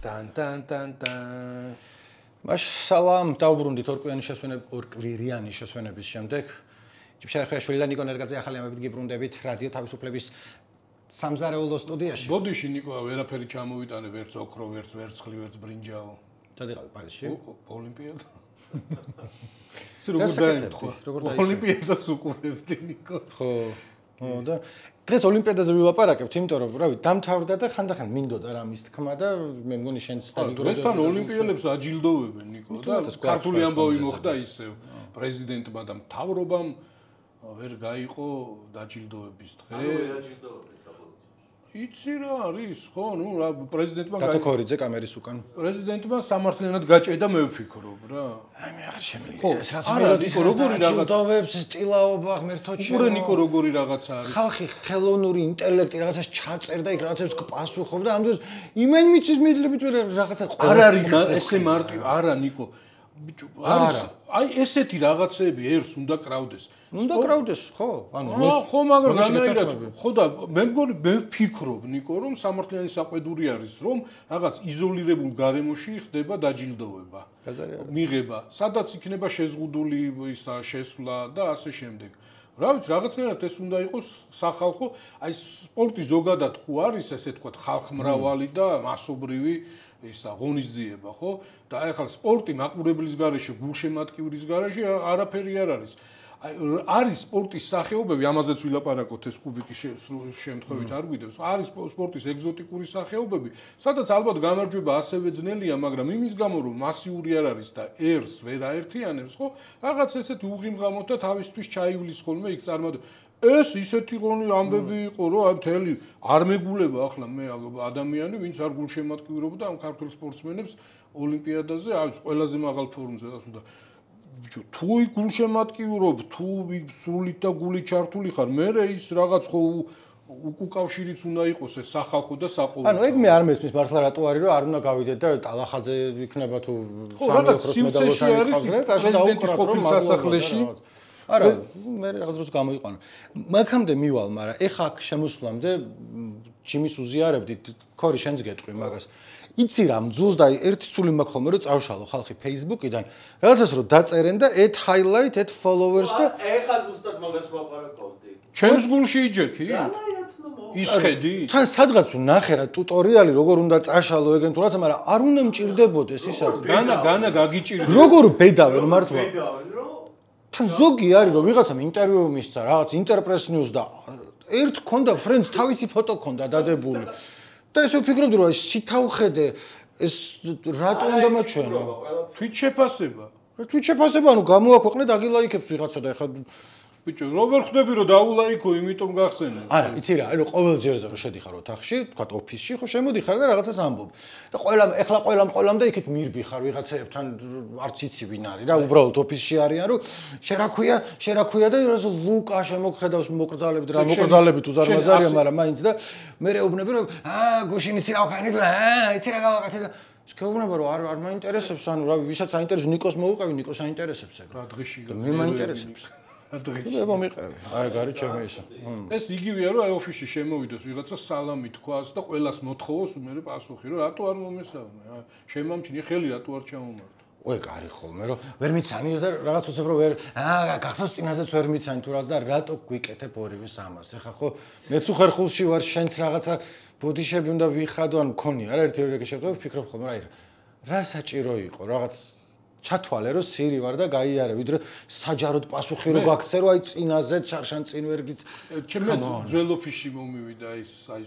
ტან. მაშალამ დაუბრუნდით ორკვირიანი შესვენების შემდეგ. ჭიფშარახვიაშვილი და ნიკო ნერგაძე ახალი ამბებით გიბრუნდებით რადიო თავისუფლების სამზარეულო სტუდიაში. ბოდიში ნიკო ვერაფერი ჩამოვიტანე, ვერც ოქრო, ვერც ვერცხლი, ვერც ბრინჯაო. სად იყავი პარიზში? ოლიმპიადა. ის როგორ დაემთხვა? ოლიმპიადას უყურებდი ნიკო. ხო. და დღეს ოლიმპიადაზე ვილაპარაკებთ, იმიტომ რომ რავი, დამთავრდა და ხანდახან მინდოდა რამის თქმა და მე მგონი შენც სტაგიგროვდა. დღესთან ოლიმპიელებს აჯილდოვებენ ნიკო და ქართული ამბავი მოხდა ისევ პრეზიდენტმა და მთავრობამ ვერ გაიყო დაჯილდოების დღე. იცი რა არის, ხო, ნუ რა პრეზიდენტმა კატოქორიძე კამერის უკან. პრეზიდენტმა სამართლიანად გაჭედა მე ვფიქრობ რა. აი მე აღარ შემიძლია. ეს რაც მეროდის როგორი რაღაცებს სტილაობა ღმერთოჩე. უყურე ნიკო როგორი რაღაცა არის. ხალხი ხელოვნური ინტელექტი რაღაცას ჩაწერდა იქ რაღაცებს პასუხობდა ამ დროს იმენ მიწის მიდლებით რაღაცა არ არის ესე მარტივ არა ნიკო ბიჭო არის აი ესეთი რაღაცები ერს უნდა კრავდეს. უნდა კრავდეს, ხო? ანუ ხო, მაგრამ განაირად ხო და მე მგონი მე ვფიქრობ ნიკო რომ სამართლიანი საყვედური არის რომ რაღაც იზოლირებულ გარემოში ხდება დაჯილდოვება. მიღება, სადაც იქნება შეზღუდული ისა შესვლა და ასე შემდეგ. რა ვიცი, რაღაცნაირად ეს უნდა იყოს სახალხო, აი სპორტი ზოგადად ხო არის ესე თქვა ხალხმრავალი და მასობრივი ისა ღონისძიება, ხო? და აი ახლა სპორტი მაყურებლის გარეშე, გულშემატკივრის გარეშე არაფერი არ არის. არის სპორტის სახეობები, ამაზეც ვილაპარაკოთ ეს კუბიკის შემთხვევით არ გვიდევს. არის სპორტის ეგზოტიკური სახეობები, სადაც ალბათ გამარჯვება ასევე ძნელია, მაგრამ იმის გამო რომ მასიური არ არის და ერს ვერ აერთიანებს, ხო? რაღაც ესეთი უღიმღამოთ და თავისთვის ჩაივლის ხოლმე იქ წარმოდე. ეს ისეთი ღონი ამბები იყო, რომ აი მთელი არ მეგულება ახლა მე ადამიანი, ვინც არ გულშემატკივრობდა ამ ქართულ სპორტსმენებს ოლიმპიადაზე, აი ყველაზე მაღალ ფორმზე და ბიჭო, თუ გულშემატკივრობ, თუ სრულით და გულით ჩართული ხარ, მე ის რაღაც ხო უკავშირიც უნდა იყოს ეს სახალხო და საყოველთაო. ანუ ეგ მე არ მესმის მართლა რატო არის რომ არ უნდა გავიდეთ და ტალახაძე იქნება თუ სამი ოქროს მედალოსანი ყავს და აშ დაუკრათ რომ სასახლეში არა, მე რაღაც დროს გამოიყვანა. მაგამდე მივალ, მაგრამ ეხა აქ შემოსვლამდე ჯიმის უზიარებდით, ქორი შენს გეტყვი მაგას. იცი რა მძულს და ერთი სული მაქვს ხოლმე რომ წავშალო ხალხი Facebook-იდან, რაღაცას რომ დაწერენ და add highlight, add followers და ეხა ზუსტად მაგას ვაპარაკობდი. ჩემს გულში იჯექი? ისხედი? თან სადღაც ვნახე რა ტუტორიალი როგორ უნდა წაშალო ეგენ თუ რაცა, მაგრამ არ უნდა მჭირდებოდეს ისა. განა გაგიჭირდება. როგორ ბედავენ მართლა? თან ზოგი არის რომ ვიღაცამ ინტერვიუ მისცა რაღაც Interpress News და ერთ ქონდა friends თავისი ფოტო ქონდა დადებული და ესე ვფიქრობდი რომ შეთავხედე ეს რატო უნდა მაჩვენო თვით შეფასება ანუ გამოაქვეყნე დაგილაიქებს ვიღაცა და ეხლა ბიჭო როგორ ხვდები რომ დაულაიქო იმიტომ გახსენე არა იცი რა აი რომ ყოველ ჯერზე რომ შედიხარ ოთახში თქვა ოფისში ხო შემოდიხარ და რაღაცას ამბობ და ყველამ და იქით მირბიხარ ვიღაცებთან არც იცი ვინ არის რა უბრალოდ ოფისში არიან რომ შერაქვია და რას ლუკა შემოგხედავს მოკრძალებით რა მოკრძალებით უზარმაზარია მაგრამ მაინც და მე რეუბნები რომ გუშინ იცი რა ვქენით რა იცი რა გავაკეთე და შეგეუბნება რომ არ მაინტერესებს ანუ რა ვისაც აინტერესებს ნიკოს მოუყევი ნიკოს აინტერესებს ეგ რა დღეში მე მაინტერესებს დღეში მომიყევი აი გარი ჩემი ისა ეს იგივეა რომ აი ოფისში შემოვიდეს ვიღაცა სალამი თქვას და ყველას მოთხოვოს მე პასუხი რომ რატო არ მომესალმე შემამჩნი ხელი რატო არ ჩამომართო ой გარი ხოლმე რომ ვერ მიცანი და რაღაც უცებ რომ ვერ გახსოვს წინაზეც ვერ მიცანი თუ რაღაც და რატო გვიკეთებ ორივე სამას ეხა ხო მეც უხერხულში ვარ შენც რაღაცა ბოდიშები უნდა ვიხადო ან მქონია რა ერთი შევტოვე ვფიქრობ ხოლმე რა რა საჭირო იყო რაღაც ჩათვალე რომ სირი ვარ და გაიარე ვიდრე საჯაროდ პასუხი რო გაქცე რომ აი წინაზე შარშან წინ ვერ გიც ჩემი ძველ ოფისში მომივიდა აი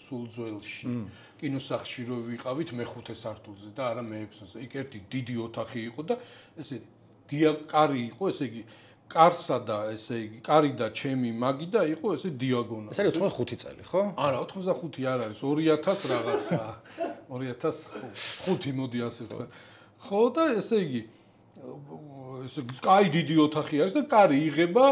სულ ძველში კინოსახლში რო ვიყავით მე-5 სართულზე და არა მე-6-ზე იქ ერთი დიდი ოთახი იყო და ესე დიაკარი იყო ესე იგი კარსა და ესე იგი კარი და ჩემი მაგი და იყო ესე დიაგონალი ეს არის 85 წელი ხო არა 85 არ არის 2000 რაღაცა 2005 მოდი ასე ვთქვა ხო და ესე იგი ესე კაი დიდი ოთახი არის და კარი იღება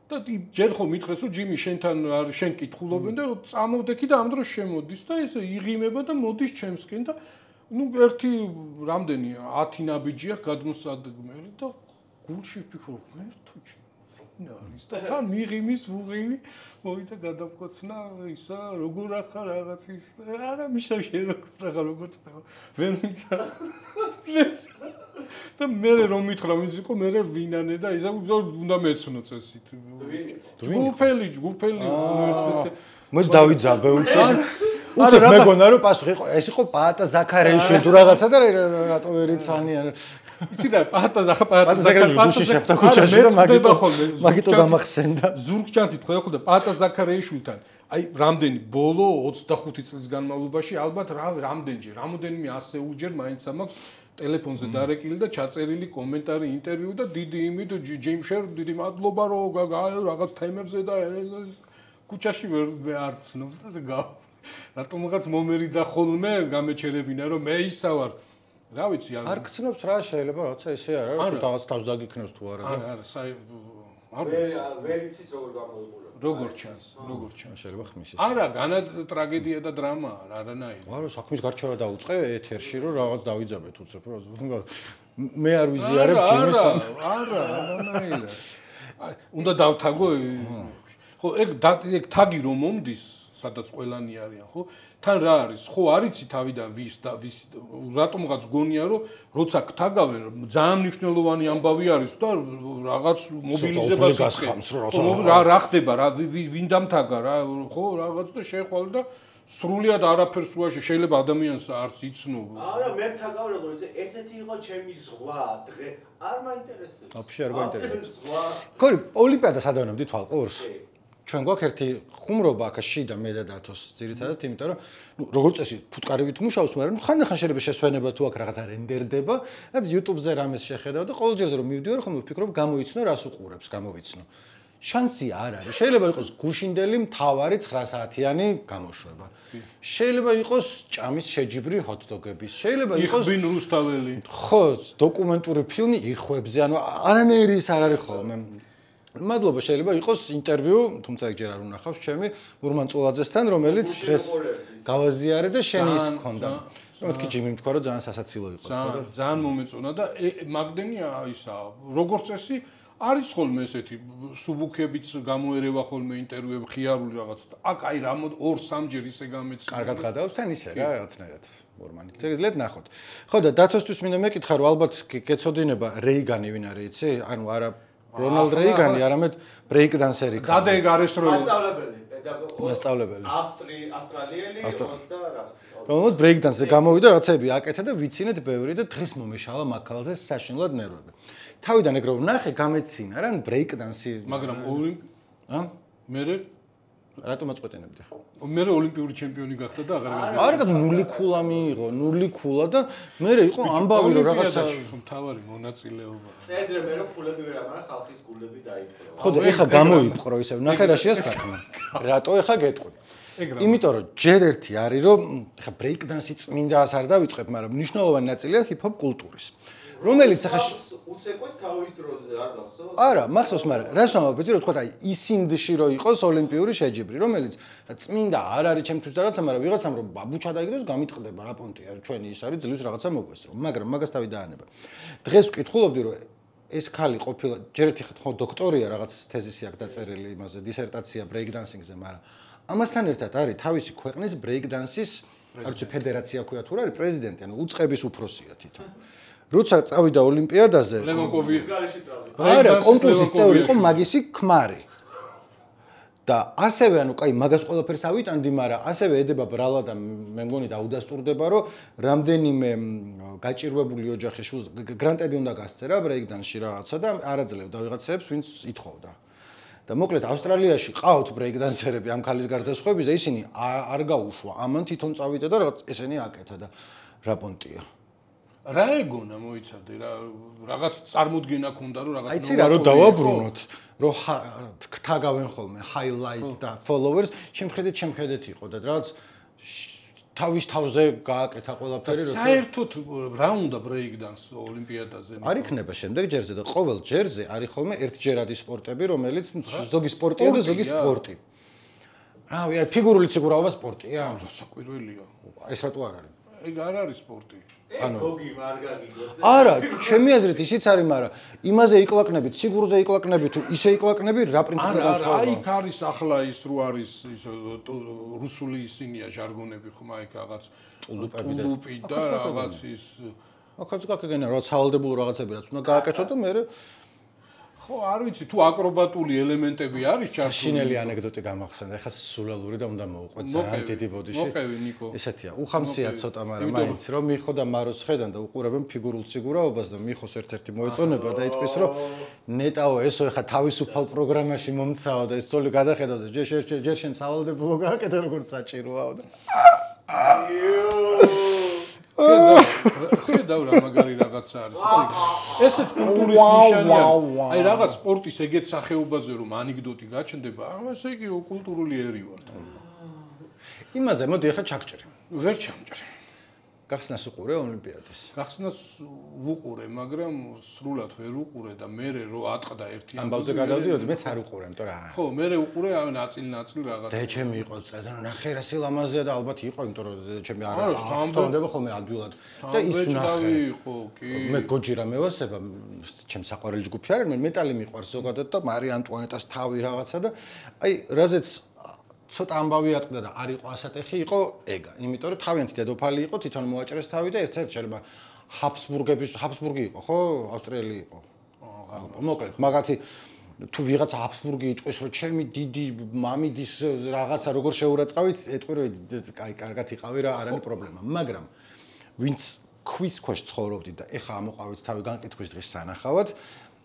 და ჯერ ხომ მითხრეს რომ ჯიმი შენთან შენ კითხულობენ და რომ წამოვდექი და ამ დროს შემოდის და ესე იღიმება და მოდის ჩემსკენ და ნუ ერთი რამდენი 10 ნაბიჯია გადმოსადგმელი და გულში ვფიქრობ ღმერთო არის და თან მიღიმის ვუღიმი მოვიდა გადამკოცნა ისა როგორ ახარ რაღაც ის არა მიშა შენ როგორ წდება ვერ მიცა და მე რომ მითხრა ვინც იყო მე ვინანე და ისა უნდა მეცნო წესით ჯგუფელი მოც დავიძაბე უცებ მეგონა რომ პასუხი იყო ეს იყო პაატა ზაქარეიშვილი თუ რაღაცა და რატო ვერ იცანიან იცი რა პაატა ზაქარეიშვილი შეფთა ქუჩაში და მაგიტო გამახსენდა ზურგჭანთით ხედავდა პაატა ზაქარეიშვილთან აი რამდენი ბოლო 25 წლის განმავლობაში ალბათ რამდენიმე ასეულჯერ მაინც ამაქვს ტელეფონზე დარეკილი და ჩაწერილი კომენტარი ინტერვიუ და დიდი იმით ჯეიმშერ დიდი მადლობა რომ რაღაც თემებზე და ქუჩაში ვერ არცნობს და ეს გა რატომღაც მომერიდა ხოლმე გამეჩერებინა რომ მე ისა ვარ რა ვიცი არ გცნობს რა შეიძლება როცა ესე არა თუ რაღაც თავს დაგიქნევს თუ არა არა ვერ იცის როგორ გამოიყურება როგორ ჩანს შეიძლება ხმის ეს არა განა ტრაგედია და დრამა არანაირი არა საქმის გარჩევა დაუწყე ეთერში რომ რაღაც დავიძაბეთ უცებ რომ მე არ ვიზიარებ ჯიმის არა არანაირი უნდა დავთაგო ხო ეგ თაგი რომ მომდის სადაც ყველანი არიან ხო თან რა არის ხო არიცი თავიდან ვის და ვის რატომღაც გონია რომ როცა გთაგავენ ძალიან მნიშვნელოვანი ამბავი არის და რაღაც მობილიზებას გასხამს რა ხდება რა ვინ დამთაგა რა ხო რაღაც და შეხვალ და სრულიად არაფერს უაშე შეიძლება ადამიანს არც იცნო არა მე მთაგავ როგორ ესეთი იყო ჩემი ზღვა დღე არ მაინტერესებს აფშე არ გაინტერესებს ხო ოლიმპიადა სადავანებდი თვალყურს ჩვენ გვაქვს ერთი ხუმრობა აქ შიდა მე და დათოს ძირითადად იმიტომ რომ როგორც წესი ფუტკარებით მუშაობს მაგრამ ხან შეიძლება შესვენება თუ აქ რაღაცა რენდერდება და YouTube-ზე რამეს შეხედავ და ყოველ ჯერზე რომ მივდივარ ხომ ვფიქრობ გამოიცნო რას უყურებს გამოვიცნო შანსი არ არის შეიძლება იყოს გუშინდელი მთავარი 9 საათიანი გამოშვება შეიძლება იყოს ჭამის შეჯიბრი ჰოთ-დოგების შეიძლება იყოს იხბინ რუსთაველი ხო დოკუმენტური ფილმი იხვებზე ანუ არანაირი ის არ არის ხოლმე მადლობა შეიძლება იყოს ინტერვიუ, თუმცა ეგ ჯერ არ უნახავს ჩემი ურმან წულაძესთან, რომელიც დღეს გავაზიარე და შენი ის მქონდა. მეთქი ჯიმი თქვა რომ ძალიან სასაცილო იყო თქო და ძალიან მომეწონა და მაგდენია ისა როგორც წესი არის ხოლმე ესეთი სუბუქებიც გამოერევა ხოლმე ინტერვიუები ხიარული რაღაც და აქ აი რა 2-3 ჯერ ისე გამეცი. კარგად გადავს თან ისე რა რაღაცნაირად ურმანი. შეგიძლიათ ნახოთ. ხო და დათოსთვის მინდა მეკითხა რომ ალბათ გეცოდინება რეიგანი ვინ არის იცი? ანუ არა რონალდ რეიგანი არამედ ბრეიკ დანსერი გადაეგ არესტროლი მასწავლებელი ავსტრალიელი და რომელიც ბრეიკ დანსზე გამოვიდა რაღაცები აკეთა და ვიცინეთ ბევრი და დღეს მომეშალა მაქალზე საშინლად ნერვები თავიდან ეგ რომ ნახე გამეცინა რა ბრეიკ დანსი მაგრამ მე რატომ აწყვეტენებდი ხო? მე ოლიმპიური ჩემპიონი გახდა და აღარ გავიგე. არა, რაღაც 0 ქულა მიიღო, 0 ქულა და მე იყო ამბავი რომ რაღაცა მთავარი მონაწილეობა. წერდრე მე რომ ქულები ვერ ამარა ხალხის გულები დაიპყრო. ხო და ეხა გამოიპყრო ისე, ნახე რა შეა საქმე. რატო ეხა გეტყვი? იმიტომ რომ ჯერ ერთი არის რომ ეხა ბრეიკ დანსი წმინდას არ დავიწყებ, მაგრამ მნიშვნელოვანი ნაწილია ჰიპ-ჰოპ კულტურის. რომელიც ახლა უცეკვეს თავის დროზე არ გახსოვს? არა, მახსოვს, მაგრამ რას ვამბობ, იცი რომ თქვა აი ისინდში რო იყოს ოლიმპიური შეჯიბრი, რომელიც წმინდა არ არის ჩემთვის და რაღაცა, მაგრამ ვიღაცამ რომ ბაბუჩა დაიგდოს, გამიტყდება რა პონტია, ჩვენი ის არის ძლივს რაღაცა მოგვესწრო. მაგრამ მაგას თავი დაანება. დღეს ვკითხულობდი რომ ეს ხალი ყოფილა ჯერ ერთი ხო დოქტორია რაღაც თეზისი აქვს დაწერილი იმაზე, დისერტაცია ბრეიკ დანსინგზე, მაგრამ ამასთან ერთად არის თავისი ქვეყნის ბრეიკ დანსის არ ვიცი ფედერაცია ქვია თუ რა არის პრეზიდენტი, ანუ უწყების უფროსია თვითონ. როცა წავიდა ოლიმპიადაზე ლემონკოვის გარეშე წავიდა. არა, კონკურსის წევრი იყო მაგისი ქმარი. და ასევე ანუ კაი მაგას ყველაფერს ავიტანდი, მაგრამ ასევე ედება ბრალა და მე მგონი დაუდასტურდება, რომ რამდენიმე გაჭირვებული ოჯახის შულს გრანტები უნდა გასწერა ბრეიკდანსში რაღაცა და არაძლევდა ვიღაცებს, ვინც ითხოვდა. და მოკლედ ავსტრალიაში ყავთ ბრეიკდანსერები ამ ქალის გარდაცვალების და ისინი არ გაუშვა. ამან თვითონ წავიდა და ესენი აკეთა და რა პონტია. რა ეგონა მოიცადე რა რაღაც წარმოდგენა ქონდა რომ რაღაც აიცი რა რომ დავაბრუნოთ რომ გთაგავენ ხოლმე highlight და followers შემხედეთ იყო და რაღაც თავის თავზე გააკეთა ყველაფერი როცა საერთოდ რა უნდა ბრეიკდანს ოლიმპიადაზე არ იქნება შემდეგ ჯერზე და ყოველ ჯერზე არის ხოლმე ერთჯერადი სპორტები რომელიც ზოგი სპორტია და ზოგი სპორტი რა ფიგურული ციგურაობა სპორტია საკვირველია ეს რატო არ არის ეგ არ არის სპორტი. გოგი მარგაგიგოს. არა, ჩემი აზრით ისიც არის, მაგრამ იმაზე იკლაკნებით, სიგურზე იკლაკნებით, თუ ისე იკლაკნები, რა პრინციპი განსხვავება? აი, იქ არის ახლა ის რო არის ის რუსული ისინია ჟარგონები ხომ აი რაღაც ტულუპი და რაღაც ის ახაც გაკეთებენ რა სავალდებულო რაღაცები რაც უნდა გააკეთო და მე ხო არ ვიცი თუ აკრობატული ელემენტები არის ჩართული. საშინელი ანეკდოტი გამახსენდა. ეხლა სულალური და უნდა მოვუყვეთ ძალიან დიდი ბოდიში. მოკევი ნიკო. ესეთია, უხამსია ცოტა, მაგრამ მაინც რომ მიხო და მაროს ხედან და უყურებენ ფიგურულ სიგურაობას და მიხოს ერთ-ერთი მოეწონება და იტყვის რომ ნეტაო ესო ეხლა თავისუფალ პროგრამაში მომცაო და ეს ძოლი გადახედავ და ჯერ შენ სავალდებულო გააკეთე როგორც საჭიროაო და ხედავ რა მაგარი რაღაცა არის. ესეც კულტურის ნიშანი არის. აი რაღაც სპორტის ეგეთ სახეობაზე რომ ანეკდოტი გაჩნდება, ესე იგი კულტურული ერი ვარ. იმაზე მოდი ახლა ჩაგჭრი. ვერ ჩამჭრი. გახსნას უყურე ოლიმპიადის. გახსნას ვუყურე, მაგრამ სრულად ვერ უყურე და მე რო ატყდა ერთი ამბავზე გადავდიოდი, მეც არ უყურე, იმიტომ რა. ხო, მე უყურე ნაწილ რაღაც. და ჩემი იყო წედა, ნახე რა სილამაზეა და ალბათ იყო, იმიტომ რომ ჩემი არ ამბობდა ხოლმე ადვილად. და ის ნახე. ხო, კი. მე გოჯი რა მევასება, ჩემ საყვარელი ჯგუფი არის, მე მეტალი მიყვარს ზოგადად და მარი ანტუანეტას თავი რაღაცა და აი, რაზეც ცოტა ამბავი ატყდა და არ იყო ასატეხი, იყო ეგა. იმიტომ რომ თავიანთი დედოფალი იყო, თვითონ მოაჭრეს თავი და ერთ-ერთ შეიძლება ჰაბსბურგი იყო, ხო? ავსტრიელი იყო. მოკლედ, მაგათი თუ ვიღაცა ჰაბსბურგი იტყვის, რომ ჩემი დიდი მამიდის რაღაცა როგორ შეურაცხავით, ეტყვი რომ აი, კარგად იყავი რა, არ არის პრობლემა. მაგრამ ვინც ქვის ქვეშ ცხოვრობდით და ეხა ამოყავით თავი განკითხვის დღის სანახავად,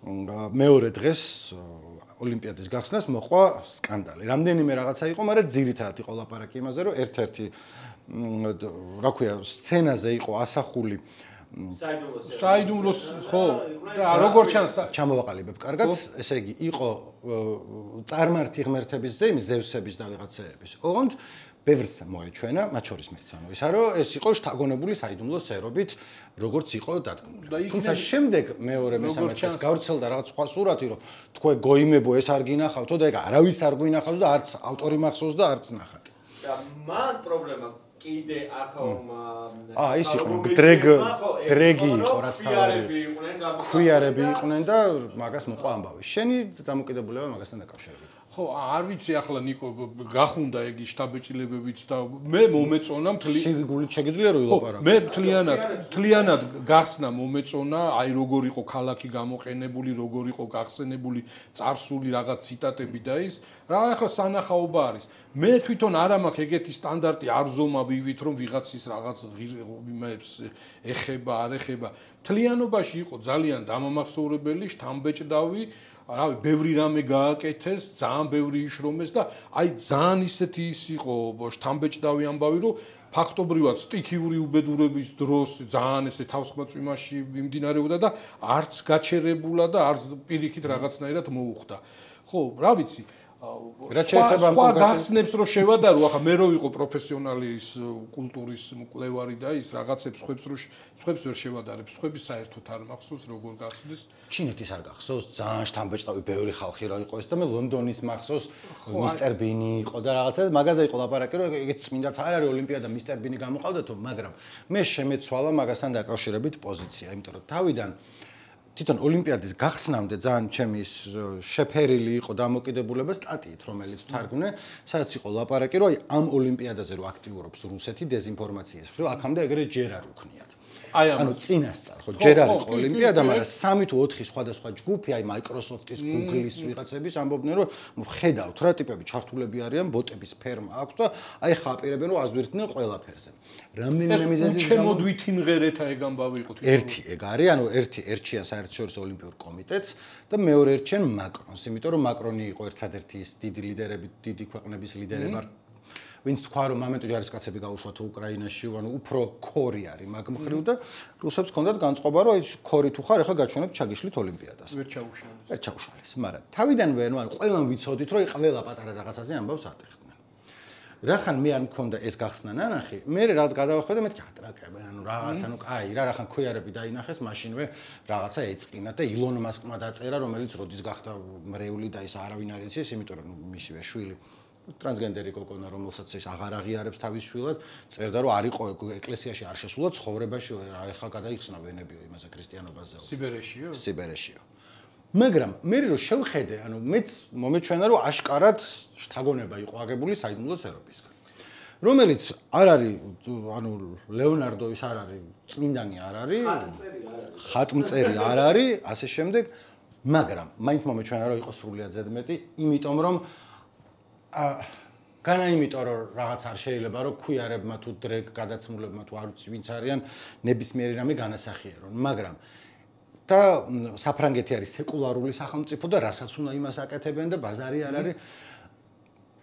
მეორე დღეს ოლიმპიადის გახსნას მოყვა სკანდალი. რამდენიმე რაღაცა იყო, მაგრამ ძირითადად იყო ლაპარაკი იმაზე, რომ ერთ-ერთი რა ქვია, სცენაზე იყო ასახული საიდუმლოს ხო და როგორ ჩანს ჩამოვაყალიბებ კარგად, ესე იგი იყო წარმართი ღმერთების ზეიმი, ზევსების და ვიღაცეების. ოღონდ ბევრს მოეჩვენა, მათ შორის მეც, ანუ ისა რომ ეს იყო შთაგონებული საიდუმლო სერობით, როგორც იყო დადგმული. თუმცა შემდეგ მეორე მესამე დღეს გავრცელდა რაღაც სხვა სურათი, რომ თქვენ გოიმებო ეს არ გინახავთო და ეგ არავის არ გვინახავს და არც ავტორი მახსოვს და არც ნახат. და მან პრობლემა კიდე აქ ის იყო დრეგი იყო რაც თავარი. ქვიარები იყვნენ და მაგას მოყვა ამბავი. შენი დამოკიდებულება მაგასთან დაკავშირებით. ხო, არ ვიცი ახლა ნიკო გახუნდა ეგ შტაბეჭილებებიც და მე მომეწონა სიგულით შეგიძლია რომ ილაპარაკო. მე მთლიანად გახსნა მომეწონა, აი როგორ იყო ქალაქი გამოყენებული, როგორ იყო გახსენებული წარსული რაღაც ციტატები და ის რა ახლა სანახაობა არის. მე თვითონ არ მაქვს ეგეთი სტანდარტი არ ზომავივით რომ ვიღაცის რაღაც იმებს ეხება, არ ეხება. მთლიანობაში იყო ძალიან დამამახსოვრებელი, შთამბეჭდავი რავი, ბევრი რამე გააკეთეს, ძალიან ბევრი იშრომეს და აი ძალიან ისეთი ის იყო შთამბეჭდავი ამბავი, რომ ფაქტობრივად სტიქიური უბედურების დროს ძალიან ესე თავსხმაწვიმაში მიმდინარეობდა და არც გაჩერებულა და არც პირიქით რაღაცნაირად მოუხდა. ხო, რა ვიცი, რაც შეეხება ამ გახსნებს რო შევადარო, ახლა მე რო ვიყო პროფესიონალი ის კულტურის მკვლევარი და ის რაღაცებს სხვებს ვერ შევადარებ, სხვების საერთოდ არ მახსოვს როგორ გახსნეს. ჩინეთის არ გახსოვს, ძალიან შთამბეჭდავი ბევრი ხალხი რა იყო ეს და მე ლონდონის მახსოვს, მისტერ ბინი იყო და რაღაცა მაგაზე იყო ლაპარაკი, რომ ეგეთ წმინდათ არ არის ოლიმპიადა მისტერ ბინი გამოყავდათო, მაგრამ მე შემეცვალა მაგასთან დაკავშირებით პოზიცია, იმიტომ რომ თავიდან თვითონ ოლიმპიადის გახსნამდე ძალიან ჩემი შეფერილი იყო დამოკიდებულება სტატიით, რომელიც თარგმნე, სადაც იყო ლაპარაკი, რომ აი ამ ოლიმპიადაზე რო აქტიურობს რუსეთი დეзинფორმაციის მხრივ, აქამდე ეგრე ჯერ არ უქნიათ. ანუ წინასწარ ხო ჯერ არ იყო ოლიმპიადა, მაგრამ 3 თუ 4 სხვადასხვა ჯგუფი, აი Microsoft-ის, Google-ის ვიღაცების ამბობდნენ, რომ ხედავთ რა ტიპები ჩართულები არიან, ბოტების ფერმა აქვს და აი ხა აპირებენ რომ აზვირთდნენ ყველაფერზე. რამდენიმე მიზეზის გამო შემოდვითინ ღერეთა ეგ ამბავი იყო თვითონ. ერთი ეგ არის, ანუ ერთი ერჩიან საერთაშორისო ოლიმპიურ კომიტეტს და მეორე ერჩიან მაკრონს, იმიტომ რომ მაკრონი იყო ერთადერთი ის დიდი ლიდერები, დიდი ქვეყნების ლიდერები ვინც თქვა რომ მომენტო ჯარისკაცები გაუშვათ უკრაინაში, ანუ უფრო ქორი არის მაგ მხრივ და რუსებს ჰქონდათ განწყობა რომ აი ქორი თუ ხარ, ახლა გაჩვენებ ჩაგიშლით ოლიმპიადას. ვერ ჩაუშალეს, მაგრამ თავიდანვე ანუ ყველამ ვიცოდით რომ ყველა პატარა რაღაცაზე ამბავს ატეხდნენ. რახან მე არ მქონდა ეს გახსნა ნანახი, მე რაც გადავახვედე მეთქი ატრაკებენ, ანუ რაღაც, ანუ კაი რა, რახან ქვიარები დაინახეს, მაშინვე რაღაცა ეწყინა და ილონ მასკმა დაწერა, რომელიც როდის გახდა მრევლი და ის არავინ არ იცის, იმიტომ რომ მისივე შვილი ტრანსგენდერი კოკონა, რომელსაც ის აღარ აღიარებს თავის შვილად, წერდა რომ არ იყო ეკლესიაში არ შესულა ცხოვრებაში, ეხლა გადაიხსნა ვენებიო იმაზე ქრისტიანობაზე. სიბერეშიო. მაგრამ მე რო შევხედე, ანუ მეც მომეჩვენა რომ აშკარად შთაგონება იყო აგებული საიდუმლო სერობისგან. რომელიც არ არის, ანუ ლეონარდო ის არ არის, წმინდანი არ არის, ხატმწერი არ არის, ასე შემდეგ, მაგრამ მაინც მომეჩვენა რომ იყო სრულიად ზედმეტი, იმიტომ რომ განა იმიტომ რომ რაღაც არ შეიძლება რომ ქვიარებმა თუ დრეგ გადაცმულებმა თუ არ ვიცი ვინც არიან ნებისმიერი რამე განასახიერონ, მაგრამ და საფრანგეთი არის სეკულარული სახელმწიფო და რასაც უნდა იმას აკეთებენ და ბაზარი არ არის.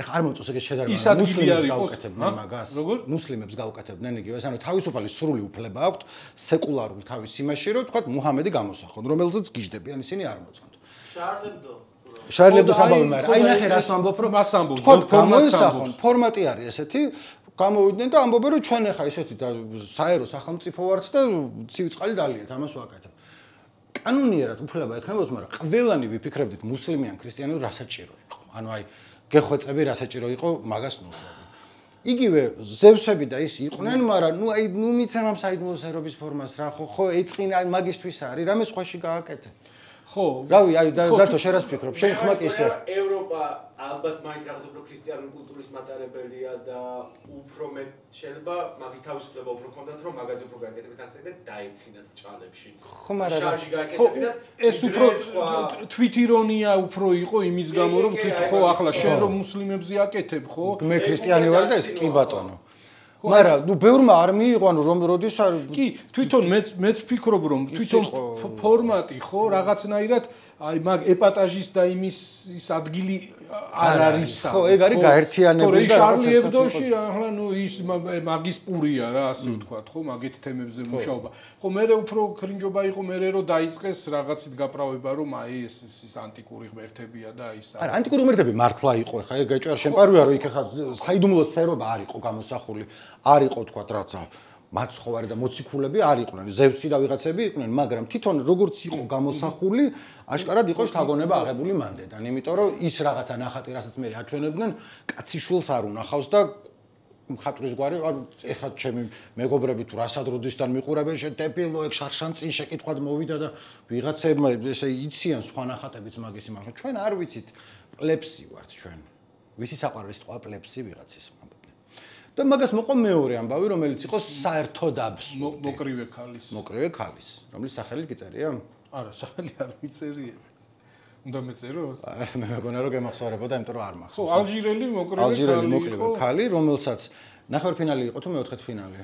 ეხლა არ მომწონს ეგეთ შედარება მუსლიმებს გაუკეთებდნენ მაგას. მუსლიმებს გაუკეთებდნენ იგივე, ანუ თავისუფალი სრული უფლება აქვთ სეკულარულ თავის იმაში, რომ თქვა მუჰამედი გამოსახონ, რომელზეც გიждდებიან, ისინი არ მოწონთ. შარლებდოს ამბავი, მაგრამ აი ნახე რას ვამბობ, რომ თქვა გამოისახონ, ფორმატი არის ესეთი, გამოვიდნენ და ამბობენ, რომ ჩვენ ახლა ესეთი საერო სახელმწიფო ვართ და ცივი წყალი დალიეთ, ამას ვაკეთებ. კანონიერად უფლება ექნებოდათ, მაგრამ ყველანი ვიფიქრებდით მუსლიმი ან ქრისტიანი რა საჭირო იყო. ანუ აი გეხვეწები რა საჭირო იყო მაგას ნუშვები. იგივე ზევსები და ის იყვნენ, მაგრამ ნუ მიცემ ამ საიდუმლო სერობის ფორმას რა, ხო ეწყინა მაგისტვის არის, რამე სხვაში გააკეთე. ხო, რავი, აი დათო შენ რას ფიქრობ? შენ ხმა კი ისე. ევროპა ალბათ მაინც რაღაც უფრო ქრისტიანული კულტურის მატარებელია და უფრო მე შეიძლება მაგის თავისუფლება უფრო ქონდათ, რომ მაგაზე უფრო გააკეთებინათ აქცენტი და დაეცინათ ბჭალებშიც. ხო, მაგრამ შარჟი გააკეთებინათ. ეს უფრო თვითირონია უფრო იყო იმის გამო, რომ ხო ახლა შენ რომ მუსლიმებზე აკეთებ, ხო? მე ქრისტიანი ვარ და ეს კი ბატონო. მაგრამ ნუ ბევრმა არ მიიღო, ანუ რომ როდის არ კი, თვითონ მეც ვფიქრობ, რომ თვითონ ფორმატი ხო რაღაცნაირად აი მაგ ეპატაჟის და იმის ის ადგილი არ არის. ხო, ეგ არის გაერთიანების და რაღაც ერთადში, ახლა ნუ ის მაგის პურია რა, ასე ვთქვათ, ხო, მაგეთ თემებზე მუშაობა. ხო, მე უფრო ქრინჯობა იყო მე რომ დაიწყეს რაღაცით გაправება, რომ აი ეს ანტიკური ღმერთებია და ის არა, ანტიკური ღმერთები მართლა იყო, ხა ეგ ეჭვარ შემპარვია, რომ იქ ხა საიდუმლო სერობა არ იყო გამოსახული. არ იყო თქვა რაცა მაცხოვარი და მოციქულები არ იყვნენ, ზევსი და ვიღაცები იყვნენ, მაგრამ თვითონ როგორც იყო გამოსახული, აშკარად იყო შთაგონება აღებული მანდედან, იმიტომ რომ ის რაღაცა ნახატი, რასაც მე აჩვენებდნენ, კაციშვილს არ უნახავს და მხატვრის გვარი, ანუ ეხლა ჩემი მეგობრები თუ რასადროდისთან მიყურებენ, შეტეპილო ეგ შარშან წინ შეკითხვად მოვიდა და ვიღაცებმა ესე იციან სხვა ნახატებიც მაგის იმახო. ჩვენ არ ვიცით, პლეპსი ვართ ჩვენ. ვისი საყვარლის თქვა პლეპსი ვიღაცის და მაგას მოყვა მეორე ამბავი, რომელიც იყო საერთოდ აბსურდი. მოკრივე ქალის, რომლის სახელი გიწერია? არა, სახელი არ მიწერია. უნდა მეწეროს? მე მეგონა რომ გემახსოვრებოდა, იმიტომ რომ არ მახსოვს. ხო, ალჟირელი მოკრივე ქალი, რომელსაც ნახევარფინალი იყო თუ მეოთხედფინალი?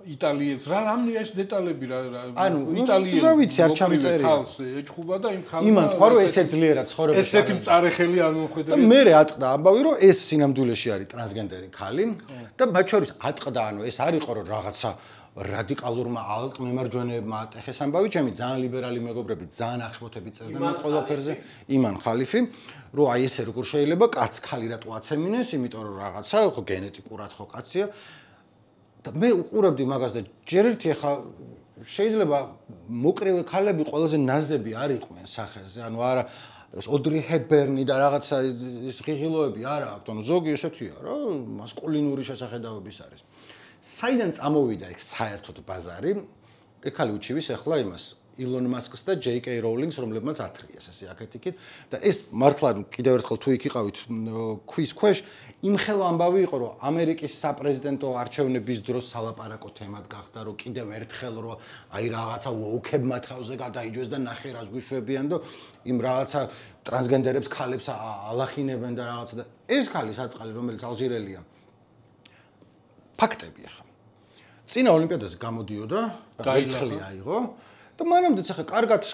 იტალიელს რა რამე ეს დეტალები რა ანუ იტალიელი რა ვიცი არ ჩამიწერია ხალს ეჭხუბა და იმ ხალს იმან თქვა რომ ესე ძლიერად ცხოვრება ესეთი მწარეხელი არ მომხედრე და მე ატყდა ამბავი რომ ეს სინამდვილეში არის ტრანსგენდერი ქალი და მათ შორის ატყდა ანუ ეს არ იყო რომ რაღაცა რადიკალურმა ალტმემარჯვენეებმა ატეხეს ამბავი ჩემი ძალიან ლიბერალი მეგობრები ძალიან ახშფოთები წერდნენ ყველაფერზე იმან ხალიფი რომ აი ესე როგორ შეიძლება კაც ქალი რატო აცემინეს იმიტომ რომ რაღაცა ხო გენეტიკურად ხო კაცია და მე უყურებდი მაგას და ჯერ ერთი ახლა შეიძლება მოკრივე ქალები ყველაზე ნაზები არ იყვნენ სახეზე ანუ არა ოდრი ჰეპბერნი და რაღაცა ის ღიღილოები არა აქვს ანუ ზოგი ესეთია რა მასკულინური შესახედაობის არის საიდან წამოვიდა ეს საერთოდ ბაზარი ეკალი უჩივის ახლა იმას ილონ მასკს და ჯეიკეი როულინგს რომლებმაც ათრიეს ესე აქეთ-იქით და ეს მართლა კიდევ ერთხელ თუ იქ იყავით ქვის ქვეშ იმხელა ამბავი იყო რომ ამერიკის საპრეზიდენტო არჩევნების დროს სალაპარაკო თემად გახდა რომ კიდევ ერთხელ რომ აი რაღაცა ვოუქებმა თავზე გადაიჯვეს და ნახე რას გვიშვებიან და იმ რაღაცა ტრანსგენდერებს ქალებს ალახინებენ და რაღაცა და ეს ქალი საწყალი რომელიც ალჟირელია ფაქტები ახლა წინა ოლიმპიადაზე გამოდიოდა ერთხელი აიღო და მანამდეც ახლა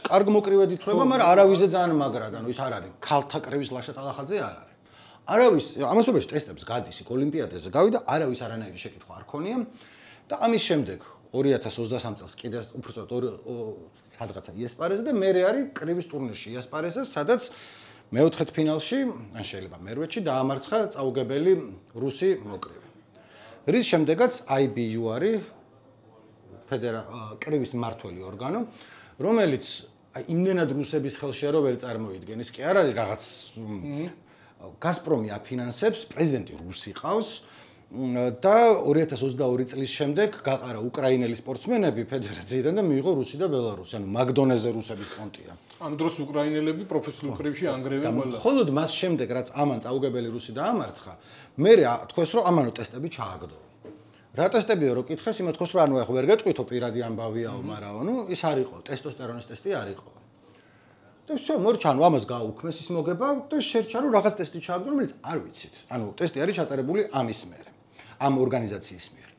კარგ მოკრივედ ითვლება, მაგრამ არავისზე ძალიან მაგრად, ანუ ის არ არის ქალთა კრების ლაშა ტალახაძე არ არის. არავის ამასობაში ტესტებს გადის იქ ოლიმპიადაზე გავიდა, არავის არანაირი შეკითხვა არ ქონია და ამის შემდეგ 2023 წელს კიდე უბრალოდ სადღაცა იასპარეზე და მერე არის კრების ტურნირში იასპარეზე, სადაც მეოთხედფინალში, ან შეიძლება მერვეთში დაამარცხა წაუგებელი რუსი მოკრივე. რის შემდეგაც IBU არის კრების მმართველი ორგანო, რომელიც იმდენად რუსების ხელშია რომ ვერ წარმოიდგენს, კი არ არის რაღაც გაზპრომი აფინანსებს, პრეზიდენტი რუსი ყავს და 2022 წლის შემდეგ გაყარა უკრაინელი სპორტსმენები ფედერაციიდან და მიიღო რუსი და ბელარუსი, ანუ მაგდონეზე რუსების პონტია. ამ დროს უკრაინელები პროფესიულ კრივში ანგრევენ ყველა. მხოლოდ მას შემდეგ, რაც ამან წაუგებელი რუსი დაამარცხა, მე თქვეს რომ ამანო ტესტები ჩააგდო. რა ტესტებია რო კითხეს, იმათ თქოს რომ ანუ ახ ვერ გეტყვითო პირადი ამბავიაო, მაგრამ ანუ ის არ იყო, ტესტოსტერონის ტესტი არ იყო. და всё, მორჩა, ანუ ამას გააუქმეს ის მოგება და შერჩა რომ რაღაც ტესტი ჩააგდო, რომელიც არ ვიცით. ანუ ტესტი არის ჩატარებული ამის მიერ, ამ ორგანიზაციის მიერ.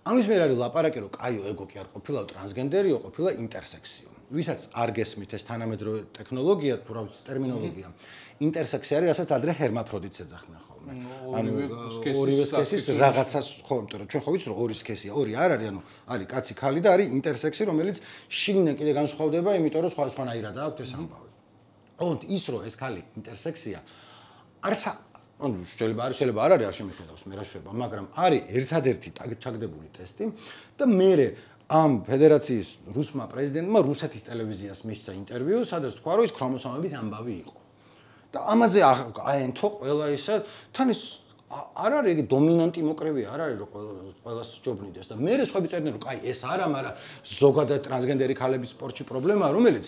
ამის მიერ არის ლაპარაკი, რომ კაიო ეგო კი არ ყოფილა ტრანსგენდერიო, ყოფილა ინტერსექსიო. ვისაც არ გესმით ეს თანამედროვე ტექნოლოგია, თუ რა ტერმინოლოგია. ინტერსექსია არის, რასაც ადრე ჰერმაფროდიტს ეძახდნენ ხოლმე. ანუ ორივე სქესის რაღაცას ხო, იმიტომ რომ ჩვენ ხო ვიცით რომ ორი სქესია, ორი არ არის, ანუ არის კაცი, ქალი და არის ინტერსექსი, რომელიც შიგნიდან კიდე განსხვავდება, იმიტომ რომ სხვადასხვანაირად აქვს ეს ამბავი. ოღონდ ის რომ ეს ქალი ინტერსექსია არის ანუ შეიძლება არ არის, არ შემიხედავს მე რა შვება, მაგრამ არის ერთადერთი ჩაგდებული ტესტი და მე ამ ფედერაციის რუსმა პრეზიდენტმა რუსეთის ტელევიზიას მისცა ინტერვიუ, სადაც თქვა რომ ის ქრომოსომების ამბავი იყო. და ამაზე აენთო ყველა ისა, თან ის არ არის იგი დომინანტი მოკრები არ არის რომ ყველას ჯობნიდეს და მე სხვები წერდნენ რომ კაი ეს არა, მაგრამ ზოგადად ტრანსგენდერი ქალების სპორტში პრობლემაა, რომელიც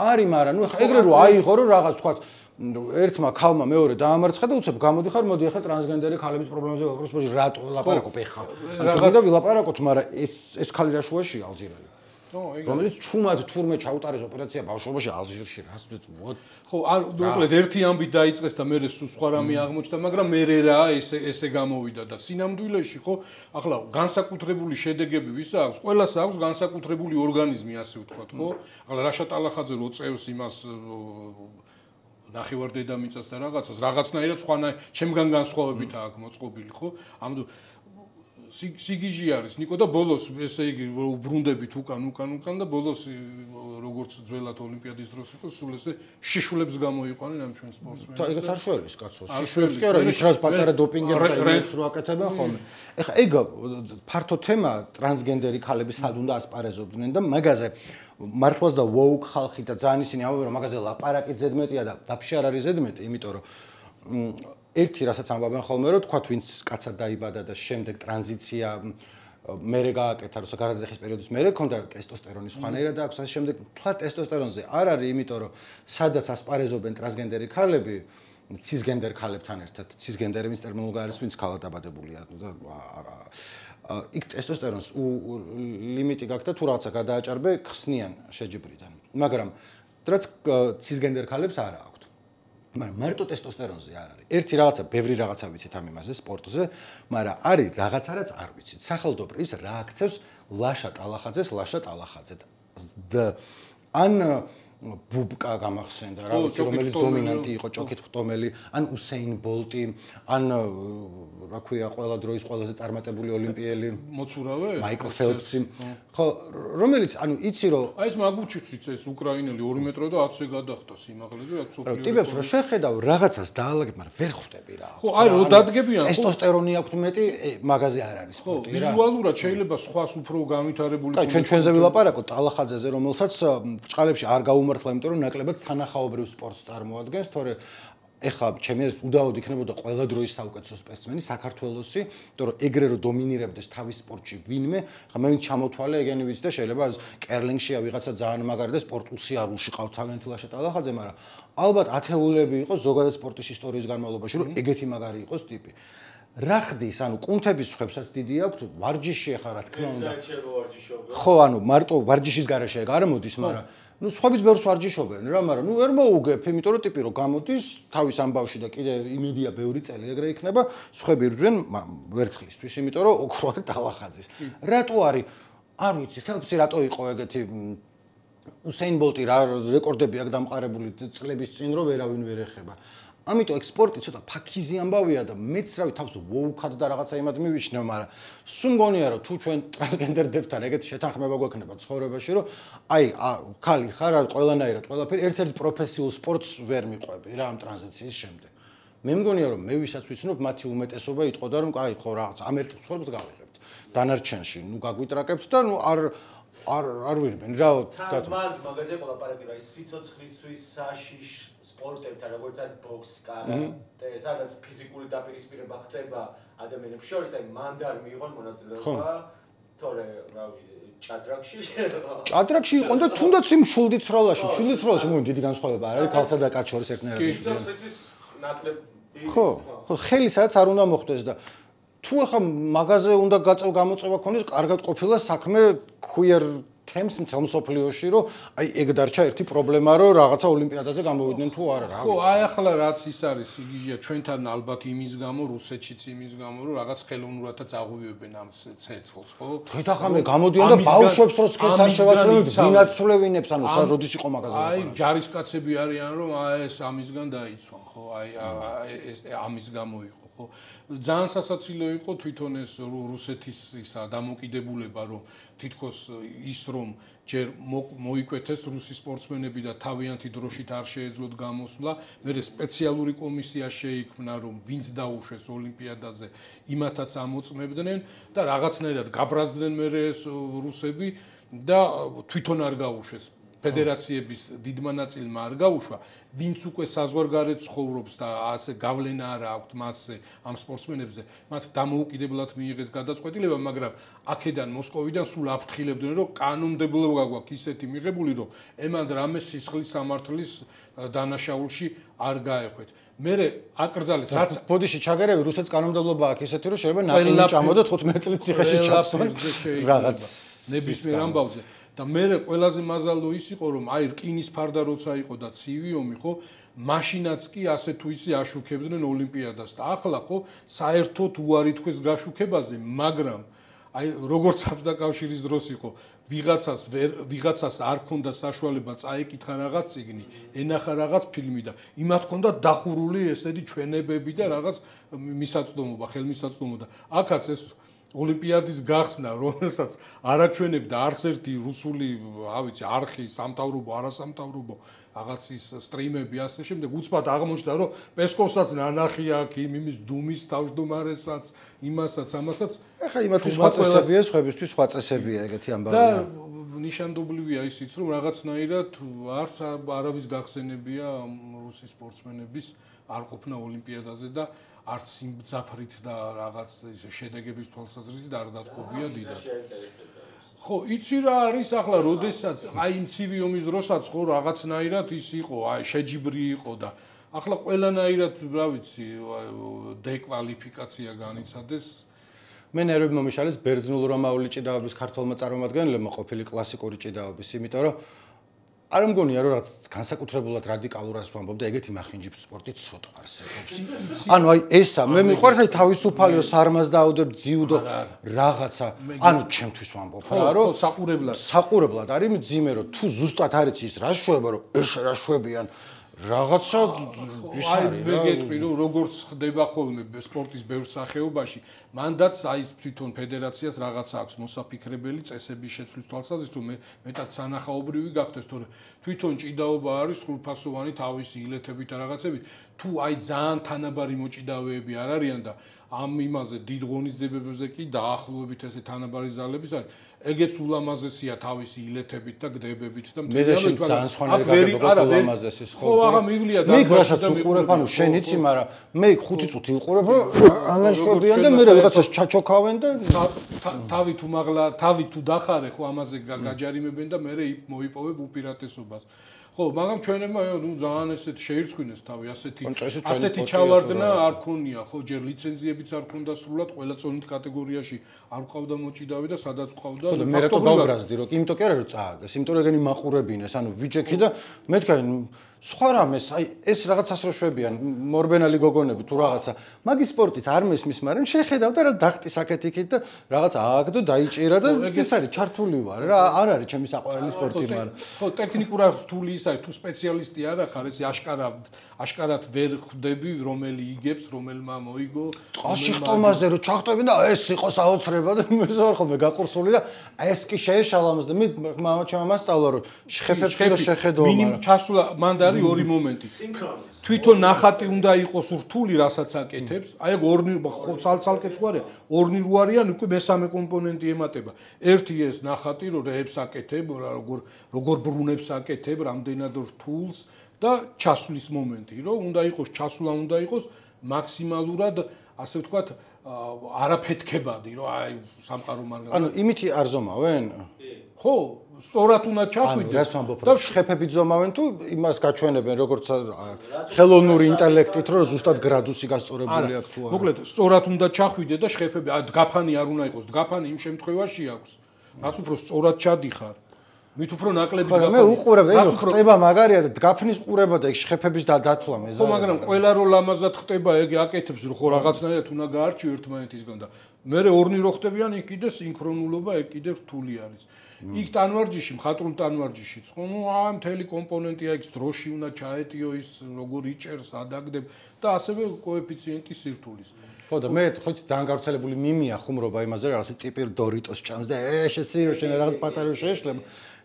არის, მაგრამ ნუ ეგრე რომ აიღო რომ რაღაც თქვა ერთმა ქალმა მეორე დაამარცხა და უცებ გამოდიხარ, მოდი ახლა ტრანსგენდერი ქალების პრობლემაზე ვაპროსებოში რატო ლაპარაკობ ახლა. რადგან და ვილაპარაკოთ, მაგრამ ეს ქალი რა შუაშია ალჟირელი. რომელიც ჩუმად თურმე ჩაუტარეს ოპერაცია ბავშვობაში ალჟირში, რას ვთქვი? ხო, ან მოკლედ ერთი ამბით დაიწყეს და მერე სულ სხვა რამე აღმოჩნდა, მაგრამ მერე რა ესე გამოვიდა და სინამდვილეში ხო, ახლა განსაკუთრებული შედეგები ვის აქვს? ყველას აქვს განსაკუთრებული ორგანიზმი, ასე ვთქვათ, ხო? ახლა რაშა ტალახაძე რო წევს იმას ნახევარ დედამიწას და რაღაცნაირად სხვანაირად ჩემგან განსხვავებით აქვს მოწყობილი, ხო? ამ სიგიჟი არის ნიკო და ბოლოს ესე იგი უბრუნდებით უკან და ბოლოს როგორც ძველად ოლიმპიადის დროს იყო სულ ესე შიშვლებს გამოიყვანენ ამ ჩვენ სპორტსმენებს. ეგეც არ შველის კაცო. შიშვლებს კი არა, ის რაც პატარა დოპინგებს რო აკეთებენ ხოლმე. ეხლა ეგ ფართო თემა ტრანსგენდერი ქალები სად უნდა ასპარეზობდნენ და მაგაზე მართლაც და ვოუკ ხალხი და ძალიან ისინი ამბობენ რომ მაგაზე ლაპარაკი ზედმეტია და ვაფშე არ არის ზედმეტი, იმიტომ რომ ერთი რასაც ამბობენ ხოლმე რომ თქვა ვინც კაცად დაიბადა და შემდეგ ტრანზიცია მერე გააკეთა როცა გარდაიხის პერიოდის მერე ქონდა ტესტოსტერონის ხვანერა და აქვს ასე შემდეგ თლა ტესტოსტერონზე არ არის, იმიტომ რომ სადაც ასპარეზობენ ტრანსგენდერი ქალები ცისგენდერ ქალებთან ერთად ცისგენდერი ვინც ტერმინოლოგია არის ვინც ქალად დაბადებულია და იქ ტესტოსტერონს ლიმიტი გაქვს და თუ რაღაცა გადააჭარბე ხსნიან შეჯიბრიდან, მაგრამ რაც ცისგენდერ ქალებს არ აქვს. მაგრამ მარტო ტესტოსტერონზე არ არის. ერთი რაღაცა, ბევრი რაღაცა ვიცით ამ იმაზე სპორტზე, მაგრამ არის რაღაცა რაც არ ვიცით. სახელმწიფო ის რა აქცევს ლაშა ტალახაძეს და ან ბუბკა გამახსენდა, რა ვიცი, რომელიც დომინანტი იყო, ჭოქით ხტომელი, ან უსეინ ბოლტი, ან რა ქვია, ყველა დროის ყველაზე წარმატებული ოლიმპიელი მოცურავე? მაიკლ ფელპსი. ხო, რომელიც, ანუ იცი რომ აი ეს მაგუჩიხიც ეს უკრაინელი 2 მეტრო და 10-ზე გადახტა სიმაღლეზე, რაც სოფლიო. ტიპებს რომ შეხედავ რაღაცას დაალაგებ, მაგრამ ვერ ხვდები რა. ხო, აი რომ დადგებიან. ტესტოსტერონი აქვს მეტი, მაგაზე არ არის სპორტი რა. ვიზუალურად შეიძლება სხვას უფრო განვითარებული. და ჩვენზე ვილაპარაკოთ ტალახაძეზე, რომელსაც ბრჭყალებში არ გაუმართლა, იმიტომ რომ ნაკლებად სანახაობრივ სპორტს წარმოადგენს, თორე ეხლა ჩემი აზრით უდაოდ იქნებოდა ყველა დროის საუკეთესო სპორტსმენი საქართველოსი, იმიტომ რომ ეგრე რომ დომინირებდეს თავის სპორტში ვინმე, ხა მე ვინც ჩამოთვალე ეგენი ვიცი და შეიძლება კერლინგშია ვიღაცა ძალიან მაგარი და სპორტულ სიარულში ყავთ თავიანთი ლაშა ტალახაძე, მაგრამ ალბათ ათეულები იყო ზოგადად სპორტის ისტორიის განმავლობაში, რომ ეგეთი მაგარი იყოს ტიპი. რა ხდის, ანუ კუნთების ხვებსაც დიდი აქვს, ვარჯიში ახლა რა თქმა უნდა. ხო, ანუ მარტო ვარჯიშის გარეშე ეგ არ მოდის, მაგრამ ნუ სხვაებს ბევრს ვარჯიშობენ რა, მაგრამ ნუ ვერ მოუგებ, იმიტომ რომ ტიპი რო გამოდის თავის ამბავში და კიდე იმედია ბევრი წელი ეგრე იქნება, სხვები ირძვენ ვერცხლისთვის, იმიტომ რომ ოქროა ტალახაძის. რატო არის? არ ვიცი, ფელპსი რატო იყო ეგეთი უსეინ ბოლტი რა რეკორდები აქვს დამყარებული წლების წინ რომ ვერავინ ვერ ეხება. ამიტომ ექსპორტი ცოტა ფაქიზი ამბავია და მეც რავი თავს ვოუქად და რაღაცა იმად მივიჩნევ, მაგრამ სულ მგონია რომ თუ ჩვენ ტრანსგენდერდებთან ეგეთი შეთანხმება გვექნება ცხოვრებაში, რომ აი ქალი ხარ, ყველანაირად ყველაფერი ერთ-ერთ პროფესიულ სპორტს ვერ მიყვები რა ამ ტრანზიციის შემდეგ. მე მგონია რომ მე ვისაც ვიცნობ მათი უმეტესობა იტყოდა რომ აი ხო რაღაც ამ ერთ ცხოვრებას გავიღებთ. დანარჩენში ნუ გაგვიტრაკებთ და ნუ არ არ ვირბენ რა თან მან მაგაზე ყოლაპარაკი რა სიცოცხლისთვის საშიშ სპორტებთან როგორც არის ბოქს, კარატე, სადაც ფიზიკური დაპირისპირება ხდება ადამიანებს შორის, აი მანდ არ მიიღონ მონაწილეობა, თორე რავი ჭადრაკში იყო და თუნდაც იმ შულდიცროლაში მოგონი დიდი განსხვავება არ არის ქალსა და კაცს შორის ერთნაირად. ხო, ხელი სადაც არ უნდა მოხდეს და თუ ახლა მაღაზე უნდა გამოწვევა ქონდეს, კარგად ყოფილა საქმე queer თემს მთელ მსოფლიოში, რომ აი ეგ დარჩა ერთი პრობლემა, რომ რაღაცა ოლიმპიადაზე გამოვიდნენ თუ არა, რა ვიცი. ხო, აი ახლა რაც ის არის, იგივეა ჩვენთან ალბათ იმის გამო, რუსეთშიც იმის გამო, რომ რაღაც ხელოვნურადაც აღვივებენ ამ ცეცხლს, ხო? თვით ახლა მე გამოდიან და ბავშვებს რო სქეს არ შევაცვლებით, ვინაცვლევინებს, ანუ როდის იყო მაგაზე. აი ჯარისკაცები არიან, რომ აი ეს ამისგან დაიცვან, ხო? აი ეს ამის გამო იყო, ხო? ძალიან სასაცილო იყო თვითონ ეს რუსეთის ისა დამოკიდებულება, რომ თითქოს ის რომ ჯერ მოიკვეთეს რუსი სპორტსმენები და თავიანთი დროშით არ შეეძლოთ გამოსვლა, მერე სპეციალური კომისია შეიქმნა, რომ ვინც დაუშვეს ოლიმპიადაზე, იმათაც ამოწმებდნენ და რაღაცნაირად გაბრაზდნენ მერე ეს რუსები და თვითონ არ გაუშვეს. ფედერაციების დიდმა ნაწილმა არ გაუშვა, ვინც უკვე საზღვარგარეთ ცხოვრობს და ასე გავლენა არ აქვს მასზე ამ სპორტსმენებზე, მათ დამოუკიდებლად მიიღეს გადაწყვეტილება, მაგრამ აქედან მოსკოვიდან სულ აფრთხილებდნენ, რომ კანონმდებლობა გვაქვს ისეთი მიღებული, რომ ემან რამე სისხლის სამართლის დანაშაულში არ გაეხვეთ. მერე აკრძალეს რაც ბოდიში ჩაგერები რუსეთს კანონმდებლობა აქვს ისეთი, რომ შეიძლება ნაკლი ჭამოდოთ 15 წლის ციხეში ჩაქსვან რაღაც ნებისმიერ ამბავზე. და მე ყველაზე მაზალო ის იყო რომ აი რკინის ფარდა როცა იყო და ცივი ომი ხო მაშინაც კი ასე თუ ისე აშუქებდნენ ოლიმპიადას და ახლა ხო საერთოდ უარი თქვეს გაშუქებაზე მაგრამ აი როგორც საბჭოთა კავშირის დროს იყო ვიღაცას არ ქონდა საშუალება წაეკითხა რაღაც წიგნი ენახა რაღაც ფილმი და იმათ ქონდა დახურული ესეთი ჩვენებები და რაღაც მისაწვდომობა ხელმისაწვდომობა აქაც ეს ოლიმპიადის გახსნა, რომელსაც არაჩვენებდა არც ერთი რუსული, რა ვიცი, არხი, სამთავრობო, არასამთავრობო, რაღაც ის სტრიმები ასე შემდეგ, უცბად აღმოჩნდა, რომ პესკოვსაც ნანახი აქვს, იმის დუმის თავმჯდომარესაც, იმასაც, ამასაც. ეხლა იმათთვის სხვა წესებია, სხვებისთვის სხვა წესებია ეგეთი ამბავია. და ნიშანდობლივია ისიც, რომ რაღაცნაირად არც არავის გახსენებია რუსი სპორტსმენების არ ყოფნა ოლიმპიადაზე და არც სიმძაფრით და რაღაც შედეგების თვალსაზრისით არ დათყობია დიდად. ხო, იცი რა არის ახლა, როდესაც აი იმ ცივი ომის დროსაც ხო რაღაცნაირად ის იყო, აი შეჯიბრი იყო და ახლა ყველანაირად, რა ვიცი, დეკვალიფიკაცია განიცადეს. მე ნერვები მომიშალეს ბერძნულ-რომაული ჭიდაობის ქართველმა წარმომადგენლებმა ყოფილი კლასიკური ჭიდაობის, იმიტომ რომ არ მგონია რომ რაც განსაკუთრებულად რადიკალურად ვამბობ და ეგეთი მახინჯი სპორტი ცოტა არსებობს. ანუ აი ესა მე მიყვარს აი თავისუფალი რომ სარმას დაუდებ ძიუდო რაღაცა. ანუ ჩემთვის ვამბობ რა რომ საყურებლად არის მძიმე რომ თუ ზუსტად არ იცი ის რა შვება რომ ეს რა შვებიან რაღაცა ის არის რა. აი მე რომ როგორც ხდება ხოლმე სპორტის ბევრ სახეობაში მანდაც აი თვითონ ფედერაციას რაღაცა აქვს მოსაფიქრებელი წესების შეცვლის თვალსაზრისით რომ მეტად სანახაობრივი გახდეს თორე თვითონ ჭიდაობა არის სრულფასოვანი თავისი ილეთებით და რაღაცებით თუ აი ძალიან თანაბარი მოჭიდავეები არ არიან და ამ იმაზე დიდ ღონისძიებებზე კი დაახლოებით ესე თანაბარი ზალების არის ეგეც ულამაზესია თავისი ილეთებით და გდებებით და მე ძალიან სხვანაირი გაგება ულამაზესის ხო აღა მივლია და მე რასაც უყურებ ანუ შენ იცი მაგრამ მე 5 წუთი უყურებ რომ ამაშვებიან და მე რაღაცას ჩაჩოქავენ და თავი თუ მაღლა თავი თუ დახარე ხო ამაზე გაჯარიმებენ და მე მოიპოვებ უპირატესობას ხო მაგრამ ჩვენებმა ნუ ძალიან ესეთ შეირცხვინეს თავი ასეთი ჩავარდნა არ ქონია ხო ჯერ ლიცენზიებიც არ ქონდა სრულად ყველა წონით კატეგორიაში არ ყავდა მოჭიდავი და სადაც ყავდა ხო და მე რატო გავბრაზდი რომ იმიტომ კი არა რომ წააგეს იმიტომ რომ ეგენი მაყურებინეს ანუ ვიჯექი და მე თქვენ სხვა რამეს აი ეს რაღაცას რო შვებიან მორბენალი გოგონები თუ რაღაცა მაგის სპორტიც არ მესმის მაგრამ შეხედავ და რა დახტის აქეთ-იქით და რაღაც ააგდო დაიჭირა და ეს არის ჩართული ვარ რა არ არის ჩემი საყვარელი სპორტი მაგრამ ხო ტექნიკურად რთული ის არის თუ სპეციალისტი არ ახარ ეს აშკარად ვერ ხვდები რომელი იგებს რომელმა მოიგო წყალში ხტომაზე რო ჩახტობენ და ეს იყოს აოცრება და მე ზარ ხოლმე გაყურსული და ეს კი შეეშალა მას და მე მამაჩემ ამას სწავლა რომ შეხედო მაგრამ მინიმუმ ჩასულა მან არის ორი მომენტი. სინქრონიზმი. თვითონ ნახატი უნდა იყოს რთული, რასაც აკეთებს. აი ეგ ორნი ცალ-ცალკეც ხო არის, ორნი რო არიან, უკვე მესამე კომპონენტი ემატება. ერთი ეს ნახატი, რომ რეებს აკეთებ, როგორ ბრუნებს აკეთებ, რამდენად რთულს და ჩასვლის მომენტი, რომ უნდა იყოს ჩასვლა, უნდა იყოს მაქსიმალურად, ასე ვთქვათ, არაფეთქებადი, რომ აი სამყარო მარგალ. ანუ იმითი არ ზომავენ? ხო, სწორად უნდა ჩახვიდე. რას ვამბობ, რომ შეფებით ზომავენ თუ იმას გაჩვენებენ, როგორც ხელოვნური ინტელექტით, რომ ზუსტად გრადუსი გასწორებული აქვს თუ არა? მოკლედ, სწორად უნდა ჩახვიდე და შეფები, დგაფანი არ უნდა იყოს, დგაფანი იმ შემთხვევაში აქვს, რაც უფრო სწორად ჩადიხარ. მით უფრო ნაკლები დგაფანი. მე უყურებ, ეს ხტება მაგარია და დგაფნის ყურება და ეგ შეფების დათვლა მეზარია. ხო, მაგრამ ყველა რო ლამაზად ხტება, ეგ აკეთებს, რომ ხო რაღაცნაირად უნდა გაარჩიო ერთმანეთისგან და მე ორნი რო ხტებიან, იქ კიდე სინქრონულობა, ეგ კიდე რთული არის. იქ ტანვარჯიში, მხატვრულ ტანვარჯიშიც, ხო, ნუ მთელი კომპონენტია, იქ დროში უნდა ჩაეტიო ის, როგორ იჭერს, ადაგდებ და ასევე კოეფიციენტი სირთულის. ხო და მე ხო ძალიან გავრცელებული მიმია ხუმრობა იმაზე, რაღაც ტიპი დორიტოს ჭამს და შეცდირო შენ რაღაც პატარა შეეშლება.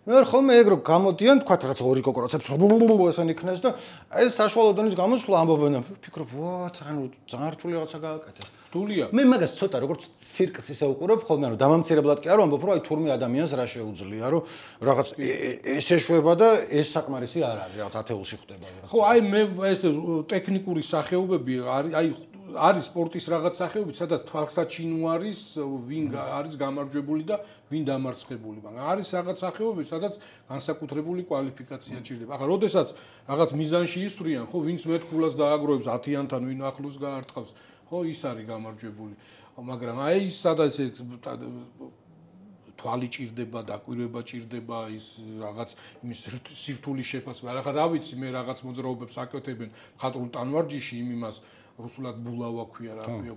მე ვარ ხოლმე ეგ რო გამოდიან, თქვა რაც ორი კოკორაცებს ესენ იქნეს და ეს საშუალო დონის გამოსვლა ამბობენ და ფიქრობ, ვათ, ანუ ძალიან რთული რაღაცა გააკეთეს. რთულია. მე მაგას ცოტა როგორც ცირკს ისე უყურებ ხოლმე, ანუ დამამცირებლად კი არ ვამბობ, რომ აი თურმე ადამიანს რა შეუძლია, რომ რაღაც ეს ეშვება და ეს საკმარისი არ არის, რაღაც ათეულში ხდება რაღაც. ხო, აი მე ეს ტექნიკური სახეობები აი არის სპორტის რაღაც სახეობები, სადაც თვალსაჩინო არის, ვინ არის გამარჯვებული და ვინ დამარცხებული, მაგრამ არის რაღაც სახეობები, სადაც განსაკუთრებული კვალიფიკაცია ჭირდება. ახლა, როდესაც რაღაც მიზანში ისვრიან, ხო, ვინც მეტ ქულას დააგროვებს 10-იან, ვინ ახლოს გაარტყავს, ხო, ის არის გამარჯვებული. მაგრამ აი ის სადაც თვალი ჭირდება, დაკვირვება ჭირდება, ის რაღაც იმის სირთულის შეფასება. ახლა რა ვიცი, მე რაღაც მოძრაობებს აკეთებენ მხატვრულ ტანვარჯიში იმას რუსულად ბულავა ქვია რა ქვია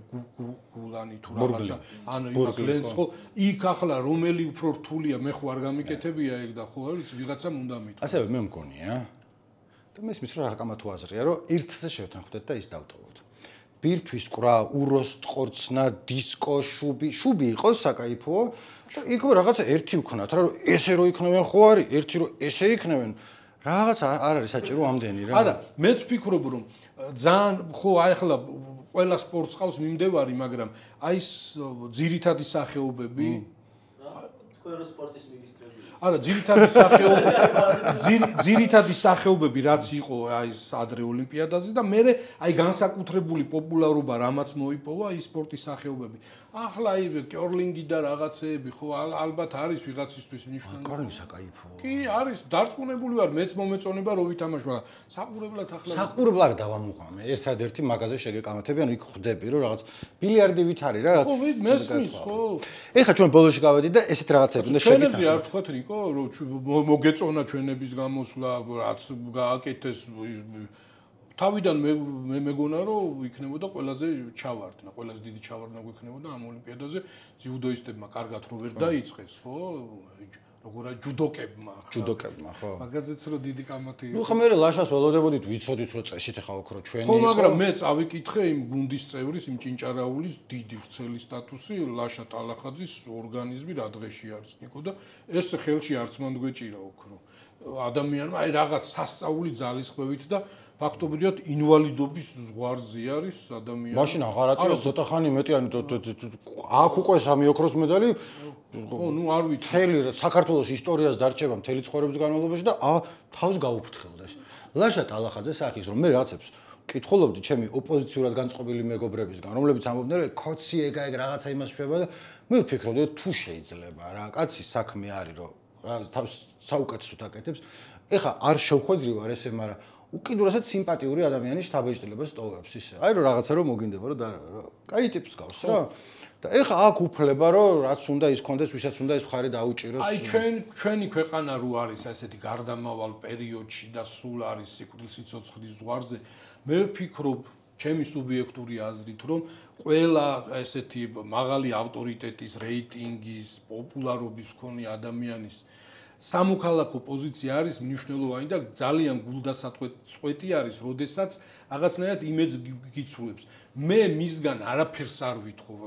გულანი თუ რაღაცა ანუ იმას ლენს ხო იქ ახლა რომელი უფრო რთულია მე ხო არ გამიკეთებია ეგ და ხო არ ვიცი ვიღაცამ უნდა მითხრა ასევე მე მგონია და მე ისმის რომ რა თუ აზრია რომ ერთზე შევთანხმდეთ და ის დავტოვოთ ბირთვის ყრა უროს ტყორცნა დისკო შუბი იყოს საკაიფოა და იქ რაღაცა ერთი ვქნათ რა რომ ესე რო იქნებენ ხო არის ერთი რო ესე იქნებენ რაღაც არ არის საჭირო ამდენი რა არა მეც ვფიქრობ რომ ძალიან ხო აი ახლა ყველა სპორტს ყავს მიმდევარი მაგრამ აი ეს ძირითადი სახეობები თქვენ რო სპორტის მინისტრები არა ძირითადი სახეობები რაც იყო აი ეს ადრე ოლიმპიადაზე და მე აი განსაკუთრებული პოპულარობა რამაც მოიპოვა ის სპორტის სახეობები ახლა აი კერლინგი და რაღაცეები ხო ალბათ არის ვიღაცისთვის მნიშვნელოვანი კერლინგი საკაიფოა კი არის დარწმუნებული ვარ მეც მომეწონება რომ ვითამაშ მაგრამ საყურებლად ახლა საყურებლად დავამუღამე ერთადერთი მაგაზე შეგეკამათებიან იქ ხვდები რომ რაღაც ბილიარდი ვით არის რა ხო მესმის ხო ეხლა ჩვენ ბოლოში გავედით და ესეთ რაღაცები უნდა შეგეკამათოთ ჩვენებზე არ თქვათ რიკო რომ მოგეწონა ჩვენების გამოსვლა რაც გააკეთეს თავიდან მე მეგონა რომ იქნებოდა ყველაზე ჩავარდნა ყველაზე დიდი ჩავარდნა გვექნებოდა ამ ოლიმპიადაზე ძიუდოისტებმა კარგად რო ვერ დაიწყეს ხო როგორა ჯუდოკებმა ხო მაგაზეც რო დიდი კამათი ნუ ხომ მე ლაშას ველოდებოდით ვიცოდით რომ წესით ახლა ოქრო ჩვენი ხო მაგრამ მე წავიკითხე იმ გუნდის წევრის იმ ჭინჭარაულის დიდი ვრცელი სტატუსი ლაშა ტალახაძის ორგანიზმი რა დღეში არის ნიკო და ეს ხელში არც მან გვეჭირა ოქრო ადამიანმა აი რაღაც სასწაული ძალისხმევით და ფაქტობრივად ინვალიდობის ზღვარზე არის ადამიანი. მაშინ აღარ აწია ცოტა ხანი მეტი ანუ აქ უკვე სამი ოქროს მედალი ხო, ნუ არ ვიცი. მთელი საქართველოს ისტორიას დარჩება მთელი ცხოვრების განმავლობაში და თავს გაუფრთხილდეს. ლაშა ტალახაძე სახის რომ მე რაღაცებს კითხულობდი ჩემი ოპოზიციურად განწყობილი მეგობრებისგან, რომლებიც ამბობდნენ რომ კოცი ეგ რაღაცა იმას შვება და მე ვფიქრობდი თუ შეიძლება რა კაცის საქმე არის რომ თავს საუკეთესოდ აკეთებს. ეხა არ შევხვედრი ვარ ესე, მაგრამ უკიდურესად სიმპათიური ადამიანის შთაბეჭდილებას ტოვებს ისე. აი რომ რაღაცა რომ მოგინდება რომ კაი ტიპს გავს რა. და ეხა აქ უფლება რომ რაც უნდა ის კონდეს, ვისაც უნდა ის მხარე დაუჭიროს. აი ჩვენი ქვეყანა რო არის ასეთი გარდამავალ პერიოდში და სულ არის სიკვდილსიცოცხლის ზღვარზე, მე ვფიქრობ ჩემი სუბიექტური აზრით რომ ყველა ესეთი მაღალი ავტორიტეტის, რეიტინგის, პოპულარობის მქონე ადამიანის სამოქალაქო პოზიცია არის მნიშვნელოვანი და ძალიან გულდასაწყვეტი არის, როდესაც რაღაცნაირად იმედს გიცვლებს. მე მისგან არაფერს არ ვითხოვ.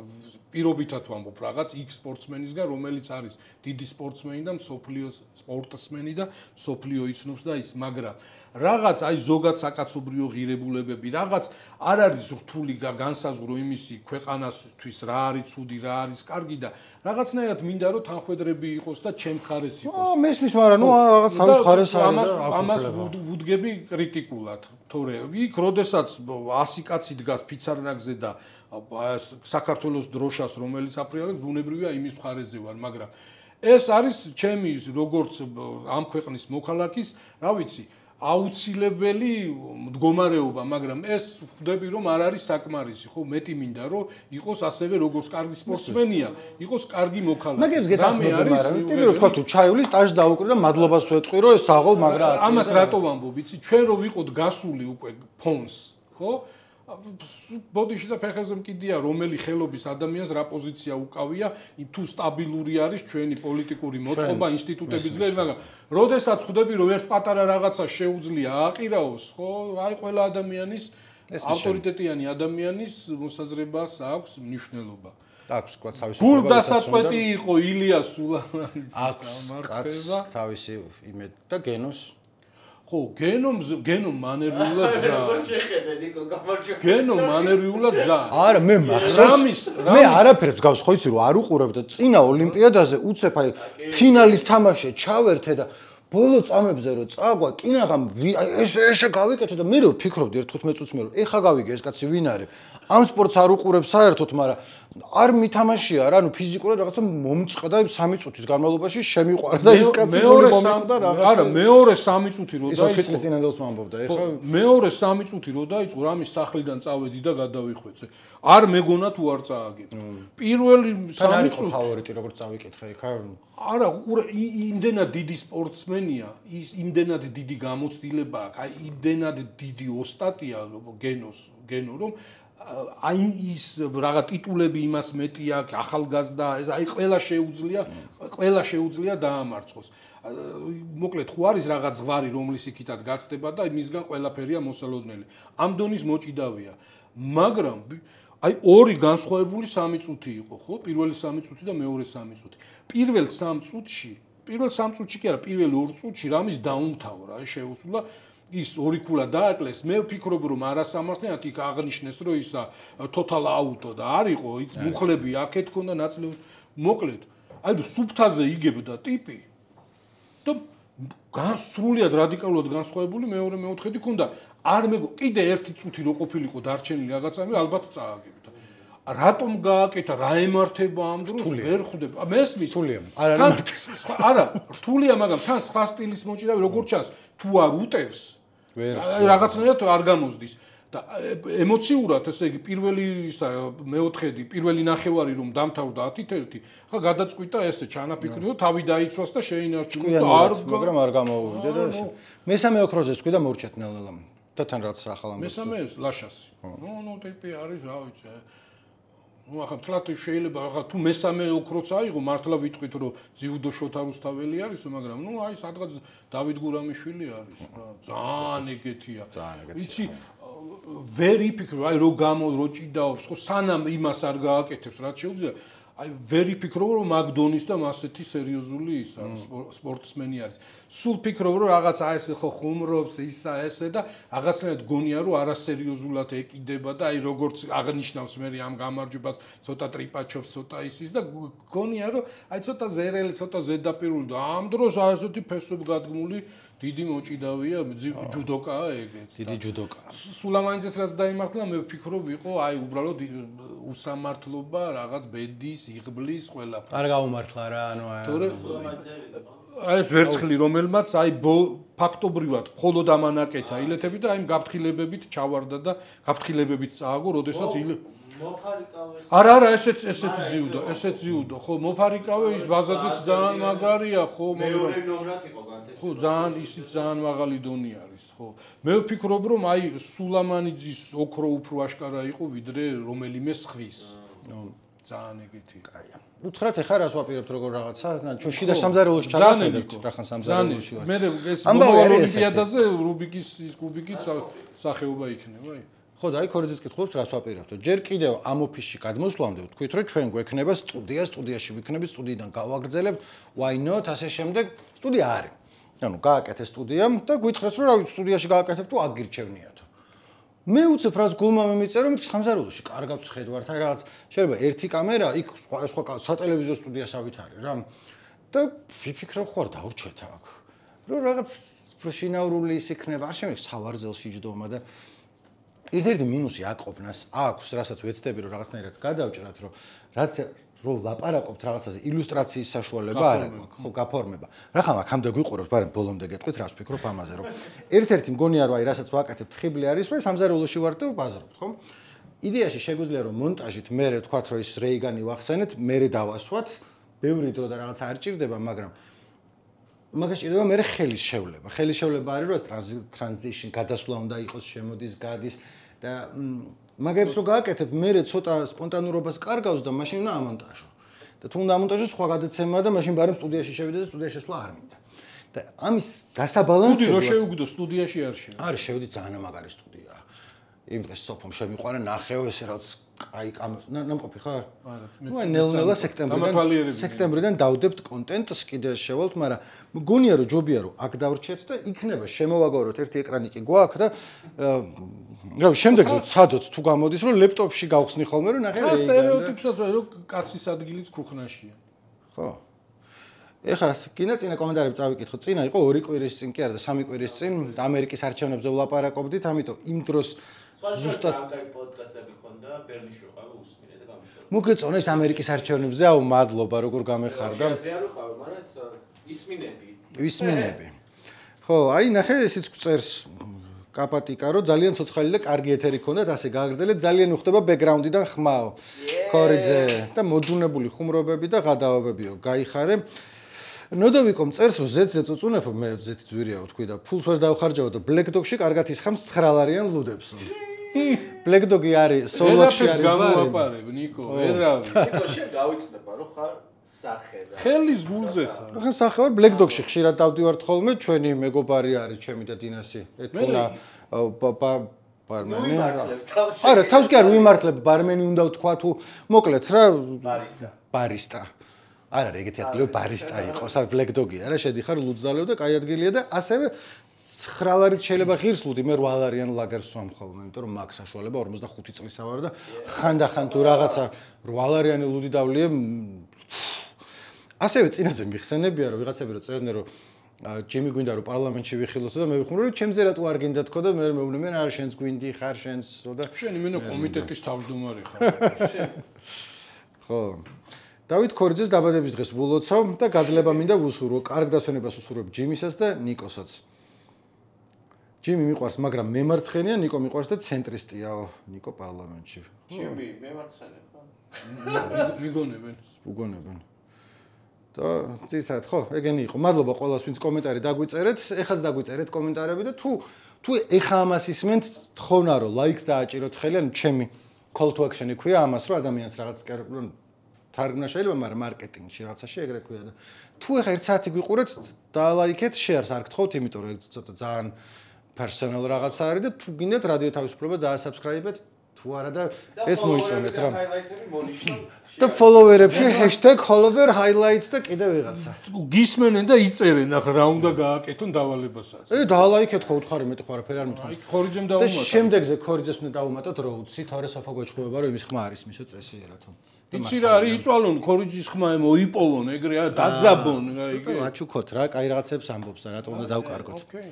პირობითად ვამბობ რაღაც X სპორტსმენისგან, რომელიც არის დიდი სპორტსმენი და მსოფლიოს სპორტსმენი და მსოფლიო იცნობს და ის, მაგრამ რაღაც აი ზოგად საკაცობრიო ღირებულებები, რაღაც არ არის რთული განსაზღვრო იმისი ქვეყანასთვის რა არის ცუდი, რა არის კარგი და რაღაცნაირად მინდა რომ თანხვედრები იყოს და ჩემ ხარეს იყოს. მესმის, მაგრამ ნუ რაღაც თავის ხარეს არის და ამას ვუდგები კრიტიკულად, თორე იქ როდესაც 100 კაცი დგას ფიცარნაგზე და საქართველოს დროშას რომელიც აფრიალებს, ბუნებრივია იმის მხარეზე ვარ, მაგრამ ეს არის ჩემი როგორც ამ ქვეყნის მოქალაქის, რა ვიცი, აუცილებელი მდგომარეობა, მაგრამ ეს ხვდები რომ არ არის საკმარისი, ხო, მეტი მინდა რომ იყოს ასევე როგორც კარგი სპორტსმენია, იყოს კარგი მოქალაქე. მაგებს გეთახმები, მაგრამ ტიპი რო თქვა თუ ჩაივლის სტაჟს დაუკრე და მადლობას ვეთყვი რომ ეს საღოლ მაგრა აწია. ამას რატო ვამბობ, იცი, ჩვენ რო ვიყოთ გასული უკვე ფონს, ხო? ბოდიში და ფეხებზე მკიდია რომელი ხელობის ადამიანს რა პოზიცია უკავია, თუ სტაბილური არის ჩვენი პოლიტიკური მოწყობა, ინსტიტუტების ძლიერი, მაგრამ როდესაც ხვდები რომ ერთ პატარა რაღაცა შეუძლია აყირაოს, ხო, აი ყველა ადამიანის ავტორიტეტიანი ადამიანის მოსაზრებას აქვს მნიშვნელობა. აქვს თქვა თავისი გულდასაწყვეტი იყო ილიას სულამანიძის დამარცხება, თავისი იმედ და გენოს ხო, გენომ მანერვიულად ზა. როგორ შეხედე ნიკო გამარჯობა. გენომ მანერვიულად ზა. არა, მე მახსოვს. მე არაფერს გავს ხო იცი რომ არ უყურებ და წინა ოლიმპიადაზე უცებ აი ფინალის თამაში ჩავერთე და ბოლო წამებზე რომ წააგვა კინაღამ ესე გავიკეთე და მე რო ვფიქრობდი ერთ 15 წუთს მე რომ ეხა გავიგე ეს კაცი ვინ არის. ამ სპორტს არ უყურებ საერთოდ, მაგრამ არ მითამაშია რა, ნუ ფიზიკურად რაღაცა მომწყდა 3 წუთის განმავლობაში შემიყვარა და ეს კაცი მომიყვდა რაღაცა. არა, მეორე 3 წუთი რო დაიწყო. 4 წლის წინანდელს ვამბობდა, ეხა მეორე 3 წუთი რო დაიწყო, რამის სახლიდან წავედი და გადავიხვეწე. არ მეგონა თუ არ წააგებ. პირველი 3 წუთი ფავორიტი როგორც წავიკითხე, ეხა არა, იმდენად დიდი სპორტსმენია, ის იმდენად დიდი გამოცდილება აქვს, აი იმდენად დიდი ოსტატია გენო რომ აი ის რაღაც ტიტულები იმას მეტი აქვს, ახალგაზრდა, აი ყველა შეუძლია დაამარცხოს. მოკლედ ხო არის რაღაც ზღვარი, რომლის იქითაც გაცდება და მისგან ყველაფერია მოსალოდნელი. ამ დონის მოჭიდავია. მაგრამ აი ორი განსხვავებული 3 წუთი იყო, ხო? პირველი 3 წუთი და მეორე 3 წუთი. პირველ 3 წუთში კი არა, პირველ 2 წუთში რამის დაუმთავრა, აი შეუსულა ის ორი ქულა დააკლეს, მე ვფიქრობ რომ არასამართლიანად იქ აღნიშნეს რომ ისა total auto და არისო, ის მუხლები აქეთ ქონდა ნაწილები, მოკლედ. აი სუფთაზე იგებდა ტიპი და განსრულიად რადიკალურად განსხვავებული მეორე მეოთხედი ქონდა. არ კიდე ერთი წუთი რო ყოფილიყო დარჩენილი რაღაცამი, ალბათ წააგებდა. რატომ გააკეთა, რა ემართება ამ დროს, ვერ ხვდები. მესმის რთულია. არა, რთულია, მაგრამ თან სხვა სტილის მოჭიდავი როგორ ჩანს, თუ არ უტევს რაღაცნაირად არ გამოსდის და ემოციურად, ესე იგი, პირველი ისა მეოთხედი, პირველი ნახევარი რომ დამთავრდა 10-1, ხა გადაწყვიტა ესე ჩანაფიქრი, რომ თავი დაიცვას და შეინარჩუნოს და არ მაგრამ არ გამოუვიდა და ესე. მესამე ოქროზე თქვი და მორჩეთ ნელ-ნელა. და თან რაც ახალ ამბობს. მესამე ლაშასი. ნუ ტიპი არის, რა ვიცი. ნუ ახლა თლათ შეიძლება ახლა თუ მესამე ოქროც აიღო, მართლა ვიტყვით რომ ძიუდო შოთა რუსთაველი არისო, მაგრამ ნუ აი სადღაც დავით გურამიშვილი არის რა. ძალიან ეგეთია. იცი ვერ იფიქრო, აი რო ჭიდაობს, ხო სანამ იმას არ გააკეთებს, რაც შეუძლია, აი ვერ იფიქრო რომ მაგდონის და მასეთი სერიოზული ისა სპორტსმენი არის. სულ ფიქრობ რომ რაღაცა ესე ხო ხუმრობს ისა ესე და რაღაცნაირად გონია რომ არასერიოზულად ეკიდება და აი როგორც აღნიშნავს მე ამ გამარჯვებას ცოტა ტრიპაჩობს ცოტა ისის და გონია რომ აი ცოტა ზერელი ცოტა ზედაპირული და ამ დროს აი ესეთი ფესვებ გადგმული დიდი მოჭიდავია ჯუდოკაა ეგეც. დიდი ჯუდოკაა. სულამანიძეს რაც დაიმართლა მე ვფიქრობ იყო აი უბრალოდ უსამართლობა რაღაც ბედის იღბლის ყველაფერს. არ გაუმართლა რა, ანუ აი ეს ვერცხლი რომელმაც აი ფაქტობრივად მხოლოდ ამანაკეთა ილეთები და აი გაფრთხილებებით ჩავარდა და გაფრთხილებებით წააგო, როდესაც მოფარიკავე. არა, ესეც ძიუდო, ხო, მოფარიკავე ის ბაზაზიც ძალიან მაგარია, ხო, მეორე ნომრად იყო განთესილი. ხო, ძალიან ისიც ძალიან მაღალი დონე არის, ხო. მე ვფიქრობ, რომ აი სულამანიძის ოქრო უფრო აშკარა იყო, ვიდრე რომელიმე სხვის. ძალიან ეგეთი. კაია. უთხრათ ახლა რას ვაპირებთ როგორ რაღაცა, ჩვენ შიდა სამზარეულოში ჩაგახედებთ, რახან სამზარეულოში ვარ. მე ეს მომავალ ოლიმპიადაზე რუბიკის ის კუბიკიც სახეობა იქნება, აი. ხო და აი ქორიძეც კითხულობს რას ვაპირებთ. ჯერ კიდევ ამ ოფისში გადმოსვლამდე ვთქვით რომ ჩვენ გვექნება სტუდიაში ვიქნებით, სტუდიიდან გავაგრძელებთ, why not ასე შემდეგ სტუდია არის. ანუ გააკეთე სტუდია და გითხრეს რომ რავი სტუდიაში გააკეთებ თუ აგირჩევნიათო. მე უცებ რაც გულმა მიმიწერო, მით სამზარეულოში კარგად ვხედავთ, აი რაღაც შეიძლება ერთი კამერა, იქ სხვა სატელევიზიო სტუდიასავით არის რა. და ვიფიქრე ხوار დავრჩეთ აქ. რომ რაღაც შინაურული ის იქნება, არ შემიძლია სავარძელში ჯდომა და ერთ-ერთი მინუსი აკოპნას აქვს, რასაც ვეცდები რომ რაღაცნაირად გადავჭრათ, რომ რაც რომ ლაპარაკობთ რაღაცაზე, ილუსტრაციის საშუალება არ აქვს, ხო, გაფორმება. რახან აქამდე გვიყურებთ, მაგრამ ბოლომდე გეტყვით, რას ვფიქრობ ამაზე, რომ ერთ-ერთი მგონია რომ აი რასაც ვაკეთებთ ხიბლი არის, რომ სამზარეულოში ვართ და ვბაზრობთ, ხო? იდეაში შეგვიძლია რომ მონტაჟით მე ვთქვათ, რომ ის რეიგანი ვახსენეთ, მე დავასვათ, ბევრი დრო და რაღაც არ ჭირდება, მაგრამ მაგაში ჭირდება მე ხელის შევლება. ხელის შევლება არის, რომ ტრანზიშნ გადასვლა უნდა იყოს, შემოდის, გადის და მაგებს რო გააკეთებ, მე ცოტა სპონტანურობას კარგავს და მაშინ უნდა ამონტაჟო. და თუ უნდა ამონტაჟო, სხვა გადაცემა და მაშინ ბარემ სტუდიაში შევიდე და სტუდიაში შესვლა არ მინდა. და ამის დასაბალანსებლად სტუდია რო შევიგდო, სტუდიაში არ შევიდე. არის შევიდი ძალიან მაგარი სტუდია. იმ დღეს სოფომ შემიყვარა ნახეო ესე რაც აი ნამყოფი ხარ? არა, მე ნელ-ნელა სექტემბრიდან დავდებთ კონტენტს კიდე შევალთ, მაგრამ მგონია რომ ჯობია რომ აქ დავრჩეთ და იქნება შემოვაგოროთ ერთი ეკრანი კი გვაქვს და რავი შემდეგზე ცადოთ თუ გამოდის რომ ლეპტოპში გავხსნი ხოლმე რომ ნახე რა სტერეოტიპსაც რომ კაცის ადგილიც ქუხნაშია. ხო. ეხლა კიდე წინა კომენტარები წავიკითხო. წინა იყო 2 კვირის წინ კი არა და 3 კვირის წინ ამერიკის არჩევნებზე ვლაპარაკობდით, ამიტომ იმ დროს ზუსტად პოდკასტები ქონდა ბერლიში ვიყავი უსმინე და გამიწევ. მოგეწონა ის ამერიკის არჩევნებზე, აუ მადლობა როგორ გამეხარდა. ზეა რო ყავ, მაგრამ ისმინები. ხო, აი ნახე ესეც წერს კაპატიკა რომ ძალიან ცოცხალი და კარგი ეთერი ქონდათ, ასე გააგრძელეთ, ძალიან უხდება ბექგრაუნდიდან ხმაო. ქორიძე და მოდუნებული ხუმრობები და გადაავებებიო. გაიხარე. ნოდოვიკომ წერს რომ ზეთზე წუწუნებ, მე ზეთი ძვირია ვთქვი და ფულს ვერ დავხარჯავ და ბლეკდოგში კარგად ისხამს 9 ლარიან ლუდებს. ბლეკდოგი არის სოლოქში არის გამოვაპარებ ნიკო, ვერავი. ნიკო შენ გავიწდება რომ ხარ სახე და ხელის გულზე ხარ. ხან სახე ვარ ბლეკდოგში ხშირად დავდივართ ხოლმე, ჩვენი მეგობარი არის ჩემი და დინასი. ეთუნა ბარმენი. არა, თავს კი არ ვიმართლებ, ბარმენი უნდა ვთქვა თუ მოკლედ რა ბარისტა. არ არის ეგეთი ადგილი რომ ბარისტა იყოს, არ ბლეკდოგი არა, შედიხარ ლუძდალევ და კაი ადგილია და ასევე 9 ლარით შეიძლება ღირს ლუდი, მე 8 ლარიან ლაგერს ვამ ხოლმე, იმიტომ რომ მაგ საშუალება 45 წლისა ვარ და ხანდახან თუ რაღაცა 8 ლარიანი ლუდი დავლიე. ასევე წინაზე მიხსენებია რომ ვიღაცები რომ წერდნენ რომ ჯიმი გვინდა რომ პარლამენტში ვიხილოთ და მე ვიხმრო რომ ჩემზე რატო არ გინდა თქო და მე მეუბნე მე რა შენს გვინდი ხარ შენს და შენი მენო კომიტეტის თავმჯდომარე ხარ. ხო. დავით ქორიძეს დაბადების დღეს ვულოცავ და გაძლება მინდა ვუსურვო, კარგ დასვენებას ვუსურვებ ჯიმისაც და ნიკოსაც. ჯიმი მიყვარს, მაგრამ მემარცხენია, ნიკო მიყვარს და ცენტრისტიაო, ნიკო პარლამენტში. ჯიმი მემარცხენე ხო? მიგონებენ. უგონებენ. და ძირითადად ხო, ეგენი იყო. მადლობა ყველას, ვინც კომენტარი დაგვიწერეთ. ეხაც დაგვიწერეთ კომენტარები და თუ ეხა ამას ისმენთ, თხოვნა რომ ლაიქს დააჭიროთ ხელი, ან ჩემი call to action-ი ქვია ამას, რომ ადამიანს რაღაც თარგმნა შეიძლება, მაგრამ მარკეტინგში რაღაცაში ეგრე ქვია და თუ ეხა 1 საათი გვიყურეთ, დალაიქეთ, შეარს არ გთხოვთ, იმიტომ რომ ეგ ცოტა ძალიან პერსონალ რაღაცა არის და თუ გინდათ რადიო თავისუფლება დაასაბსკრაიბეთ, თუ არა და ეს მოიწონეთ რა. და ფოლოვერებში #HolloverHighlights და კიდე ვიღაცა. გისმენენ და იწერენ ახლა რა უნდა გააკეთონ დავალებასაც. დალაიქეთ ხო უთხარი მეტი ხო არაფერი არ მithქვამს. ქორიძემ და შემდეგზე ქორიძეს უნდა დავუმატოთ როუდსი, თორე საფო გვეჭხმება რომ იმის ხმა არის მისო წესიერათო. იცი რა არის იწვალონ ქორიძის ხმა მოიპოვონ ეგრე რა დაძაბონ რა იგი. ცოტა ვაჩუქოთ რა, კაი რაღაცებს ამბობს და რატო უნდა დავკარგოთ. ოკეი.